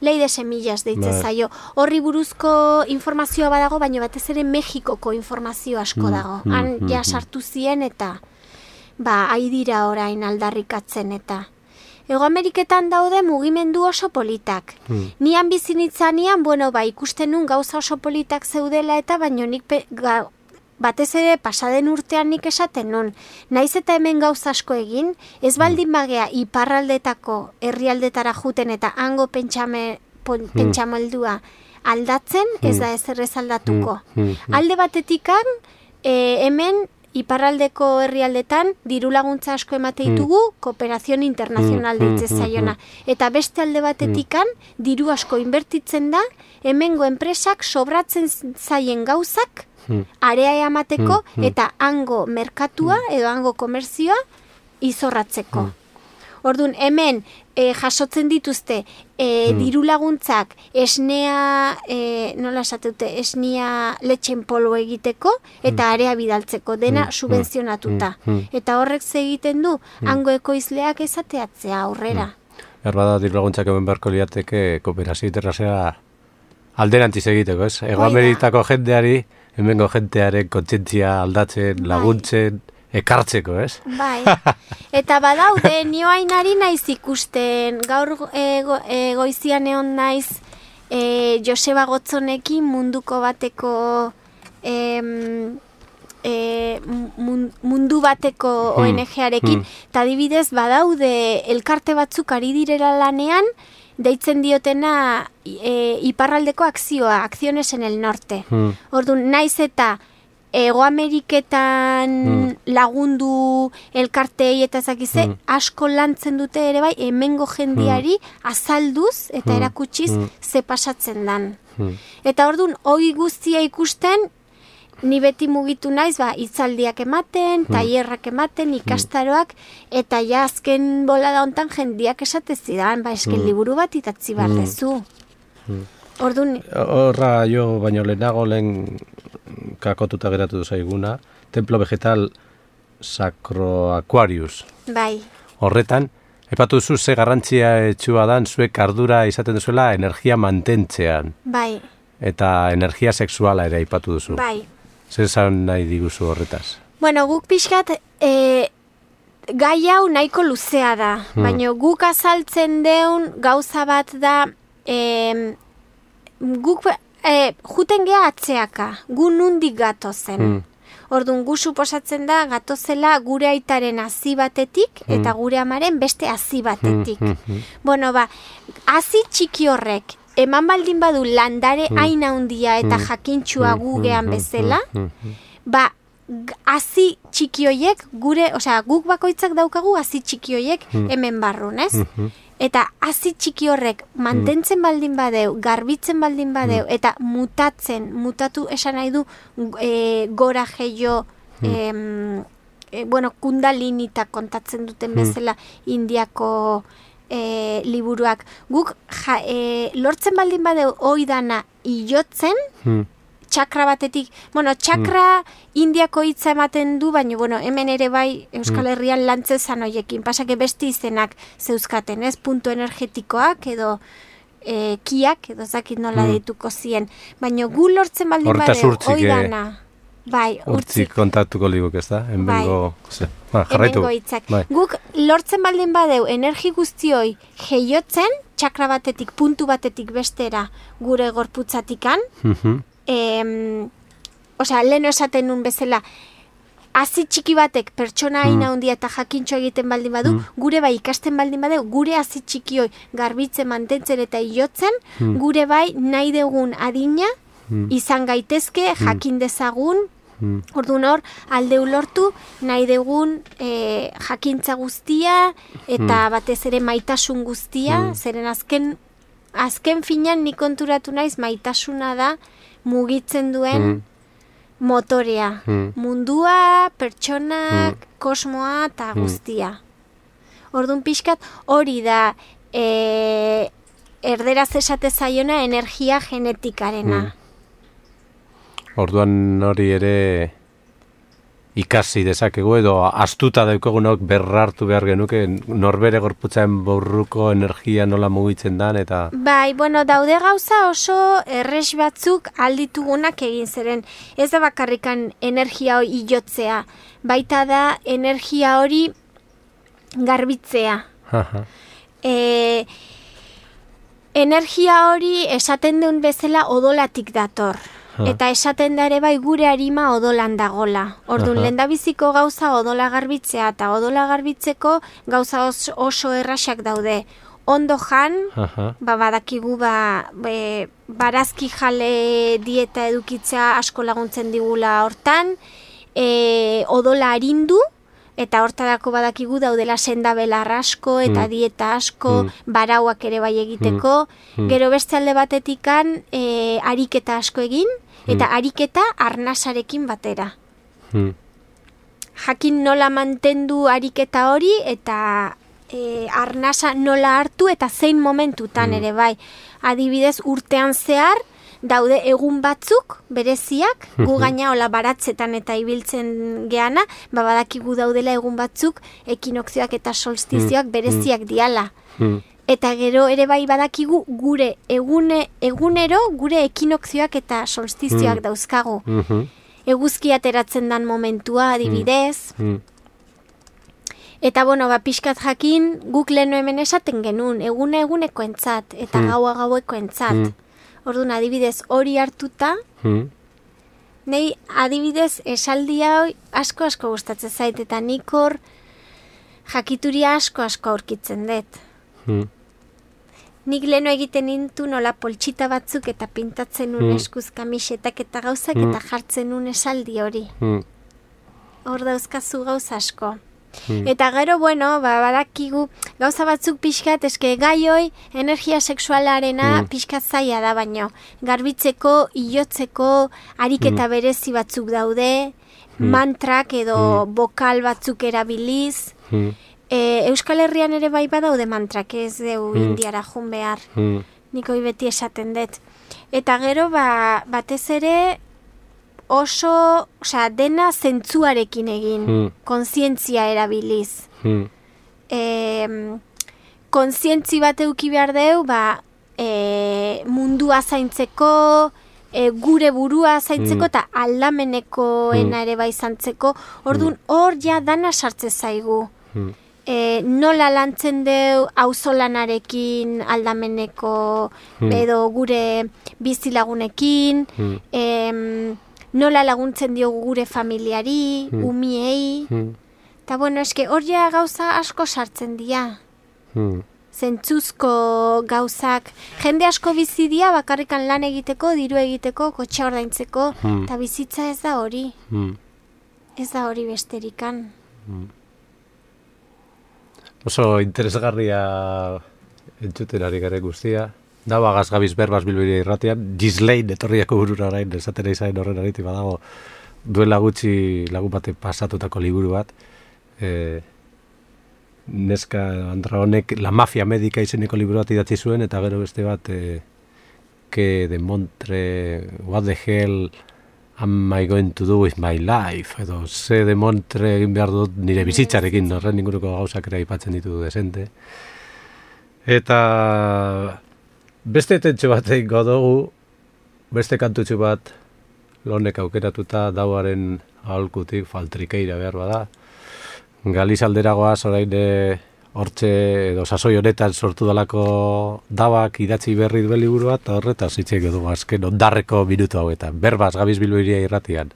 Lei de semillas deitzen zaio. Horri buruzko informazioa badago, baina batez ere Mexikoko informazio asko dago. Han ja sartu zien eta haidira orain aldarrikatzen eta... Ego Ameriketan daude mugimendu oso politak. Nian bizinitzanean, ikusten nun gauza oso politak zeudela eta baino nik batez ere pasaden urtean nik esaten nun. Naiz eta hemen gauza asko egin, ez baldin bagea iparraldetako herrialdetara juten eta hango pentsamoldua aldatzen, ez da ezerrez aldatuko. Alde batetikan, hemen iparraldeko herrialdetan diru laguntza asko emate ditugu kooperazion internazional deitzen zaiona. Eta beste alde batetikan diru asko inbertitzen da hemengo enpresak sobratzen zaien gauzak area emateko eta hango merkatua edo hango komerzioa izorratzeko. Orduan, hemen jasotzen dituzte diru laguntzak esnea, nola esateute, esnea letxen polo egiteko eta area bidaltzeko, dena subvenzionatuta. Eta horrek egiten du, hango ekoizleak ezateatzea aurrera. Erbada diru laguntzak hemen beharko liateke kooperazio internazionala alderantziz egiteko, ez? Ego Amerikako jendeari, hemengo jentearen kontzientzia aldatzen, laguntzen, ekartzeko, ez? Bai, eta badaude, nioain ari naiz ikusten, gaur goizian egon naiz Joseba Gotzonekin munduko bateko mundu bateko ONG-arekin, eta adibidez badaude elkarte batzuk ari direla lanean, deitzen diotena iparraldeko akzioa, Acciones en el Norte. Orduan, naiz eta Ego Ameriketan lagundu elkartei eta zakize, asko lantzen dute ere bai, hemengo jendiari azalduz eta erakutsiz ze pasatzen dan. Eta orduan, hori guztia ikusten, ni beti mugitu naiz, hitzaldiak ematen, tailerrak ematen, ikastaroak, eta ja azken bolada hontan jendiak esatezidan, esken liburu bat itatzi behar dezu. Horra jo baino lehenago lehen kakotuta geratu zaiguna, Templo Vegetal Sacro Aquarius. Bai. Horretan, epatu zu ze garrantzia etxua dan zuek ardura izaten duzuela energia mantentzean. Bai. Eta energia sexuala ere aipatu duzu. Bai. Zer esan nahi diguzu horretaz? Guk pixkat gai hau nahiko luzea da, baina guk azaltzen deun gauza bat da guk juten geha atzeaka, gu nundik gatozen. Orduan, gu suposatzen da gatozela gure aitaren hazi batetik eta gure amaren beste hazi batetik. Hazi txiki horrek, eman baldin badu landare hain handia eta jakintxua gugean bezala, hazi txiki hoiek gure, guk bakoitzak daukagu hazi txiki hoiek hemen barrun, ez? Eta hazi txiki horrek mantentzen baldin badeu, garbitzen baldin badeu, eta mutatu esan nahi du gora gehiago, kundalinita kontatzen duten bezala Indiako liburuak. Guk lortzen baldin badeu oidana ilotzen, txakra batetik, txakra Indiako hitza ematen du, baina hemen ere bai Euskal Herrian lantzezan hoiekin, pasake beste izenak zeuzkaten, ez? Punto energetikoak edo kiak, edo zakit nola deituko zien. Baina gu lortzen baldin badeu oidana. Bai, urtzik kontatuko liguk, ez da? Hemengo hitzak. Guk lortzen baldin badeu energi guztioi jeiotzen, txakra batetik, puntu batetik bestera gure gorputzatikan, lehen esaten nun bezala, hazi txiki batek pertsona haina handia eta jakintxo egiten baldin badu, gure bai ikasten baldin badu, gure hazi txiki hoi garbitzen, mantentzen eta iotzen, gure bai nahi dugun adina izan gaitezke, jakin dezagun, orduan hor, aldeu lortu, nahi dugun jakintza guztia, eta batez ere maitasun guztia, zeren azken finan nik konturatu naiz maitasuna da mugitzen duen motorea. Mundua, pertsonak, kosmoa eta guztia. Orduan pixkat hori da erderaz esate zaiona energia genetikarena. Orduan hori ere ikasi dezakegu edo astuta daukagunok berrartu behar genuke norbere gorputzaren borruko energia nola mugitzen dan eta... Bai, bueno, daude gauza oso erres batzuk alditugunak egin zeren. Ez da bakarrikan energia hori iotzea, baita da energia hori garbitzea. Energia hori esaten duen bezala odolatik dator. Eta esaten da ere bai gure arima odolan dagola. Orduan, lehendabiziko gauza odola garbitzea eta odola garbitzeko gauza oso errasak daude. Ondo jan, badakigu barazki jale dieta edukitzea asko laguntzen digula hortan, odola arindu, eta hortarako badakigu daudela sendabelar asko eta dieta asko, barauak ere bai egiteko, gero beste alde batetikan ariketa asko egin, eta ariketa arnasarekin batera. Jakin nola mantendu ariketa hori, eta arnasa nola hartu, eta zein momentutan ere bai. Adibidez, urtean zehar, daude egun batzuk, bereziak, gu gaina hola baratzetan eta ibiltzen geana, badakigu daudela egun batzuk, ekinokzioak eta solstizioak bereziak diala. Eta gero ere bai badakigu gure egunero gure ekinokzioak eta solstizioak dauzkagu. Eguzkia ateratzen dan momentua adibidez. Eta bueno, pixkat jakin guk leheno hemen esaten genuen, eguneko entzat eta gaua gaueko entzat. Orduan adibidez hori hartuta, nei adibidez esaldi hau asko gustatzen zait eta nik hor jakituria asko aurkitzen dut. Nik leheno egiten nintu nola poltsita batzuk eta pintatzen nun eskuz kamisetak eta gauzak eta jartzen nun esaldi hori. Hor dauzkazu gauza asko. Eta gero, bueno, badakigu gauza batzuk pixkat, eske gaioi energia sexualarena pixkat zaila da baino. Garbitzeko, iotzeko, ariketa berezi batzuk daude, mantrak edo bokal batzuk erabiliz, Euskal Herrian ere bai badaude mantrak, ez deu indiara jun behar. Nik hoi beti esaten dut. Eta gero, batez ere oso, dena zentzuarekin egin, kontzientzia erabiliz. Kontzientzi bat euki behar deu, mundua zaintzeko, gure burua zaintzeko eta aldamenekoena ere bai zantzeko, orduan hor ja dana sartze zaigu. Nola lantzen deu auzolanarekin aldameneko edo gure bizilagunekin, nola laguntzen diogu gure familiari, umiei, eta bueno, eske hor ja gauza asko sartzen dira. Zentzuzko gauzak, jende asko bizi dira bakarrikan lan egiteko, diru egiteko, kotxa ordaintzeko, eta bizitza ez da hori. Ez da hori besterikan. Oso interesgarria entzuten ari gare guztia. Da, gazgabiz berbaz Bilbiri irratian, Ghislaine etorriako burura orain, esatera izan horren ariti badago, duela gutxi lagun bate pasatutako liburu bat, neska andra honek La Mafia Médica izeneko liburu bat idatzi zuen, eta gero beste bat, que de Montre, what the hell am I going to do with my life, edo ze de Montre egin behar dut nire bizitzarekin, horren inguruko gauzak ere aipatzen ditu desente. Eta beste tentxo bat egingo dugu, beste kantutxo bat lonek aukeratuta dauaren aholkutik faltrikeira behar bada. Galiz alderagoaz orain hortxe edo sasoi honetan sortu dalako dabak idatzi berri duen liburu bat, horretaz hitz egin dugu azken ondarreko minutu hauetan. Berbaz, Gabiz Bilboiria irratian.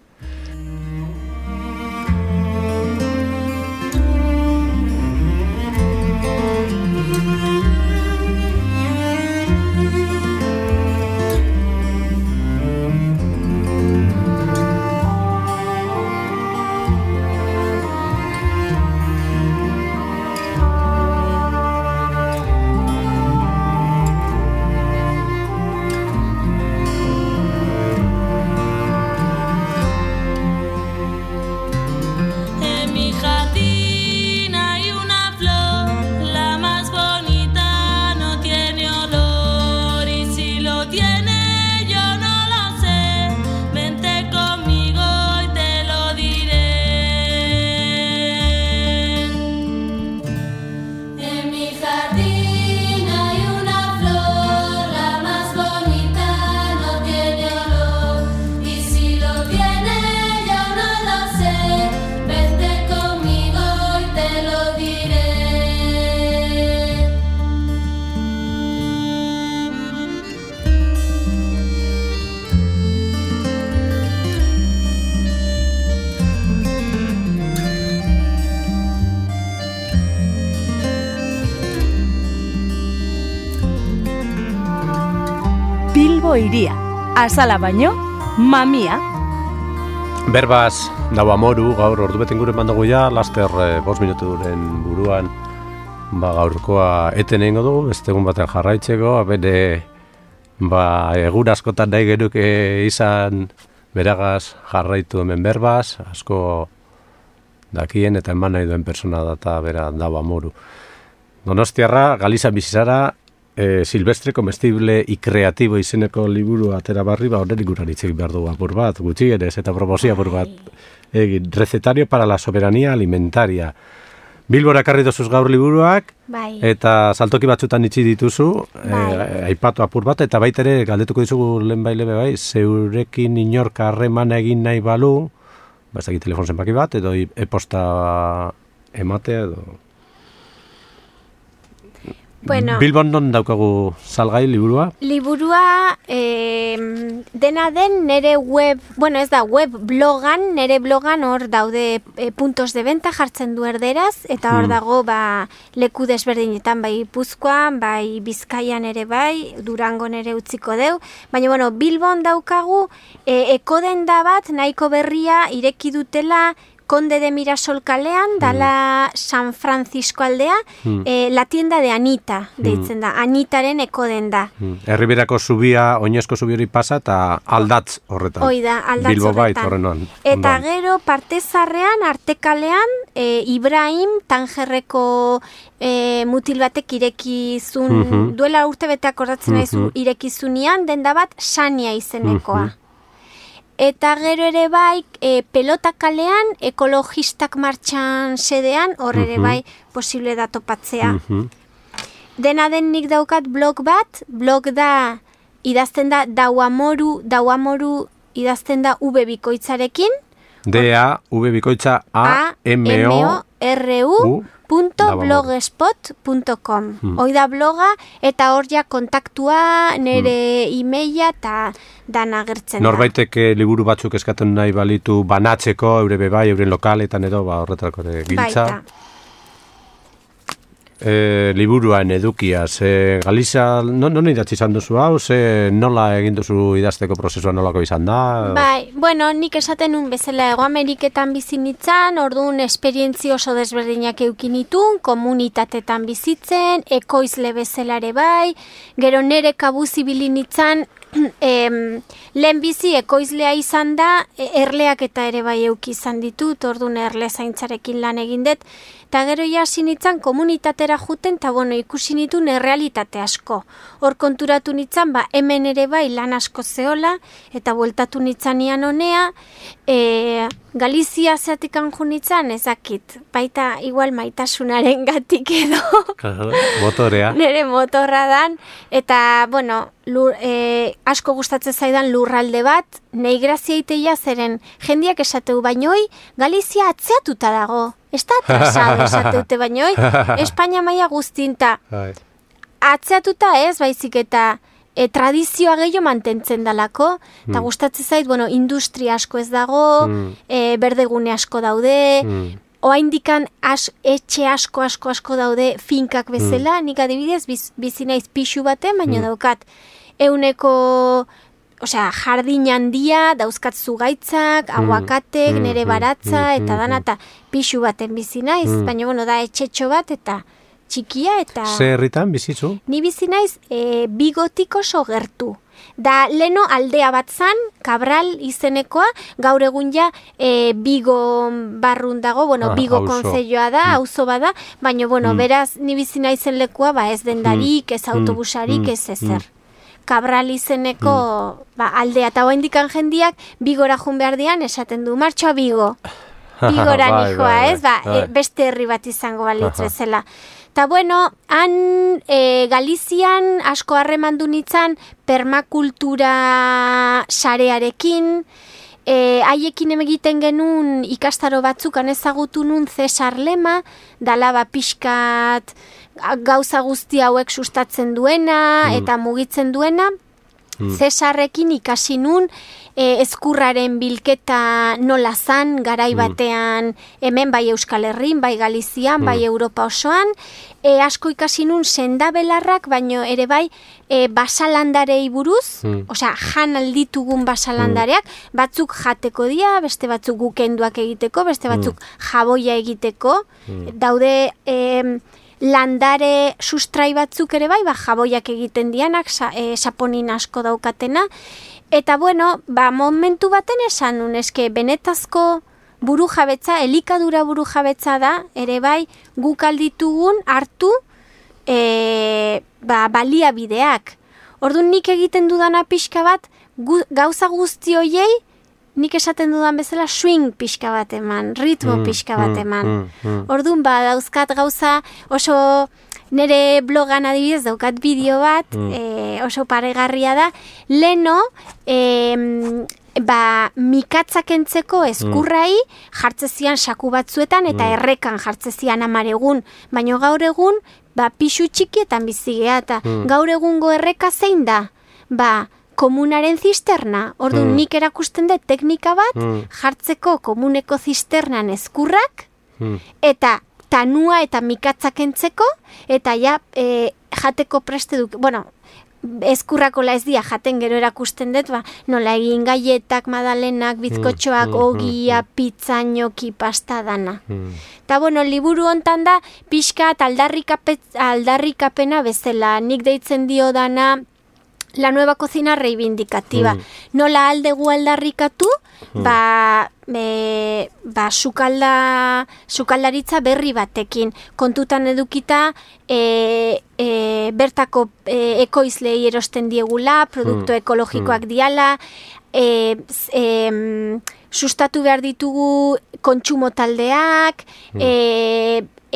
Bilbo iria, azala baino, mamia. Berbaz, daua moru, gaur ordubeten gure mandago ja, laster 5 minutu duren buruan, gaurkoa eten egingo dugu, beste egun baten jarraitzeko, bere egun askotan nahi genuke izan beragaz jarraitu hemen berbaz, asko dakien eta eman nahi duen persona data bera daua moru. Donostiarra, Galizan bizizara, Silvestre Comestible y Creativo izeneko liburu atera barri, horren ikuran hitzik behar dugu apur bat, gutxienez eta promozio apur bat. Recetario para la soberanía alimentaria. Bilbora karri dozuz gaur liburuak, eta saltoki batzutan itxi dituzu, aipatu apur bat, eta baitere galdetuko dizugu lehen bai, zeurekin inork harremana egin nahi balu, ez dakit telefon zenbaki bat, edo e-posta ematea, edo... Bueno, Bilbon non daukagu salgai liburua? Liburua dena den nere web, ez da web blogan, nere blogan hor daude puntos de venta jartzen du erderaz, eta hor dago leku desberdinetan, bai Gipuzkoan, bai Bizkaian ere bai, Durangon ere utziko deu, baina Bilbon daukagu ekodenda bat nahiko berria ireki dutela Conde de Mirasol kalean, dala San Francisco aldea, la tienda de Anita, deitzen da, Anitaren ekodenda. Herriberako zubia, oinezko zubi hori pasa, eta aldatz horretan. Oida, aldatz Bilbo bait horretan. Eta gero, partezarrean, Artekalean, Ibrahim, Tangerreko mutil batek irekizun, duela urte bete akordatzen naizu, irekizunian, denda bat, Sania izenekoa. Eta gero ere bai, Pelota kalean, ekologistak martxan sedean, hor ere bai, posible da topatzea. Dena den nik daukat blog bat, blog da, idazten da dauamoru idazten da V bikoitzarekin. V bikoitza AMORU.blogspot.com Hoi da bloga, eta hor ja kontaktua, nere e-maila eta dana agertzen da. Norbaitek liburu batzuk eskatzen nahi balitu banatzeko, eure bebai, euren lokaletan edo, horretarako ere giltza. Baita. Liburuan edukiaz, Galiza, non idatzi izan duzu hau, nola egin duzu idazteko prozesua nolako izan da? Bai, nik esaten nun bezala Hego Ameriketan bizi nintzen, orduan esperientzi oso desberdinak eukin nitun, komunitatetan bizitzen, ekoizle bezala ere bai, gero nere kabuzi bilin nintzen, lehen bizi ekoizlea izan da, erleak eta ere bai euki izan ditut, orduan erle zaintzarekin lan egin dut, eta gero hasi nintzen komunitatera juten, eta ikusi nituen errealitate asko. Hor konturatu nintzen, hemen ere bai lan asko zehola, eta bueltatu nintzen nian honea, Galizia zeatik anju nintzen, ezakit, baita igual maitasunaren gatik edo. Motorea. Nere motorra dan, eta, asko gustatzen zaidan lurralde bat, nahi grazia iteia zeren jendiak esateu bainoi, Galizia atzeatuta dago. Ez da atrasado esateute bainoi, Espainia maila guztinta. Atzeatuta ez, baizik eta tradizioa gehiago mantentzen dalako, eta gustatzen zait, industria asko ez dago, berdegune asko daude, oaindikan etxe asko daude finkak bezala, nik adibidez bizi naiz pixu baten, baina daukat euneko jardin handia, dauzkat zugaitzak, aguakatek, nere baratza, eta dana, eta pixu baten bizi naiz, baina da etxetxo bat, eta txikia, eta... Ze herritan bizizu? Ni bizi naiz Bigotik oso gertu. Da leno aldea bat zan, Cabral izenekoa, gaur egun ja Bigo barrun dago, Bigo konzeioa da, auzo bada, baina, beraz, ni bizi naizen lekua, ez dendarik, ez autobusarik, ez ezer. Cabral izeneko aldea, eta oaindikan jendiak Bigora jun behar dian, esaten du, martxoa Bigo. Bigora nijoa, ez? Beste herri bat izango balitz bezala. Eta han Galizian asko harremandu nintzen permakultura sarearekin, haiekin egiten genuen ikastaro batzuk ezagutu nun Cesar Lema, dala pixkat gauza guzti hauek sustatzen duena eta mugitzen duena. Cesarrekin ikasi nun ezkurraren bilketa nola zan, garai batean hemen bai Euskal Herrin, bai Galizian, bai Europa osoan, asko ikasi nun sendabelarrak, baino ere bai basalandarei buruz, osea, jan alditugun basalandareak, batzuk jateko dira, beste batzuk gukenduak egiteko, beste batzuk jaboia egiteko, daude landare sustrai batzuk ere bai, jaboiak egiten dianak, saponin asko daukatena, eta bueno, momentu baten esan nun, eske benetazko burujabetza, elikadura burujabetza da, ere bai, guk alditugun hartu baliabideak. Orduan nik egiten dudana pixka bat, gauza guzti hoiei, nik esaten dudan bezala swing pixka bat eman, ritmo pixka bat eman. Orduan dauzkat gauza oso nire blogan adibidez daukat bideo bat, oso paregarria da, leno, mikatzak entzeko eskurrai jartzezian saku batzuetan eta errekan jartzezian 10 egun, baino gaur egun pixu txikietan bizigea eta gaur egungo erreka zein da? Komunaren zisterna. Orduan nik erakusten dut teknika bat jartzeko komuneko zisternan eskurrak eta tanua eta mikatzak entzeko eta jateko preste duk. Bueno, eskurrakola ez dia jaten gero erakusten dut, nola egin gaietak, madalenak, bizkotxoak, ogia, pizza, gnocchi, pasta dana. Eta bueno, liburu hontan da pixka aldarrikapena bezala, nik deitzen dio dana la nueva cocina reivindicativa. Nola aldegu aldarrikatu, sukaldaritza berri batekin. Kontutan edukita, bertako ekoizlei erosten diegula, produktu ekologikoak diala, sustatu behar ditugu kontsumo taldeak,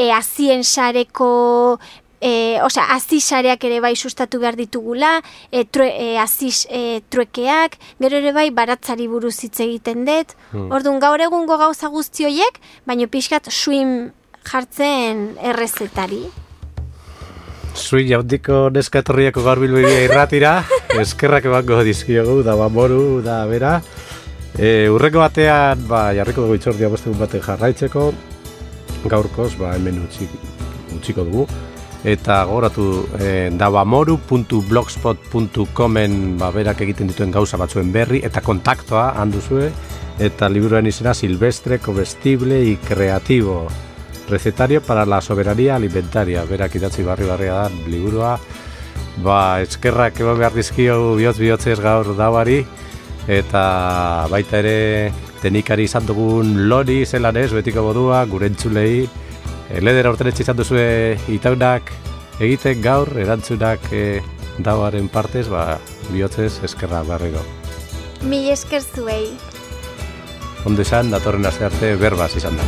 azien sareko azisareak ere bai sustatu behar ditugula, truekeak, gero ere bai baratzari buruz hitz egiten dut. Orduan gaur egungo gauza guzti horiek, baino pixkat swing jartzen errezetari. Swing jaundiko neska etorriako gaur bilbidea irratira, eskerrak emango dizkiogu, da Moru, da bera. Urreko batean, jarriko dugu itzordia bostegun baten jarraitzeko, gaurkoz, hemen utziko dugu. Eta gogoratu davamoru.blogspot.comen berak egiten dituen gauza batzuen berri eta kontaktoa handuzue eta liburuaren izena Silvestre, Comestible y Creativo, recetario para la soberanía alimentaria. Berak idatzi barria da liburua. Eskerrak eman behar dizkio bihotzez gaur Davari eta baita ere teknikari izan dugun Lori zelan ez, betiko modua, gure entzulei. Ledera urten izan duzue itaunak egiten gaur, erantzunak Davaren partez, bihotzez eskerra barrego. Mil esker zuei. Ondo esan, datorren aste arte berbaz izan da.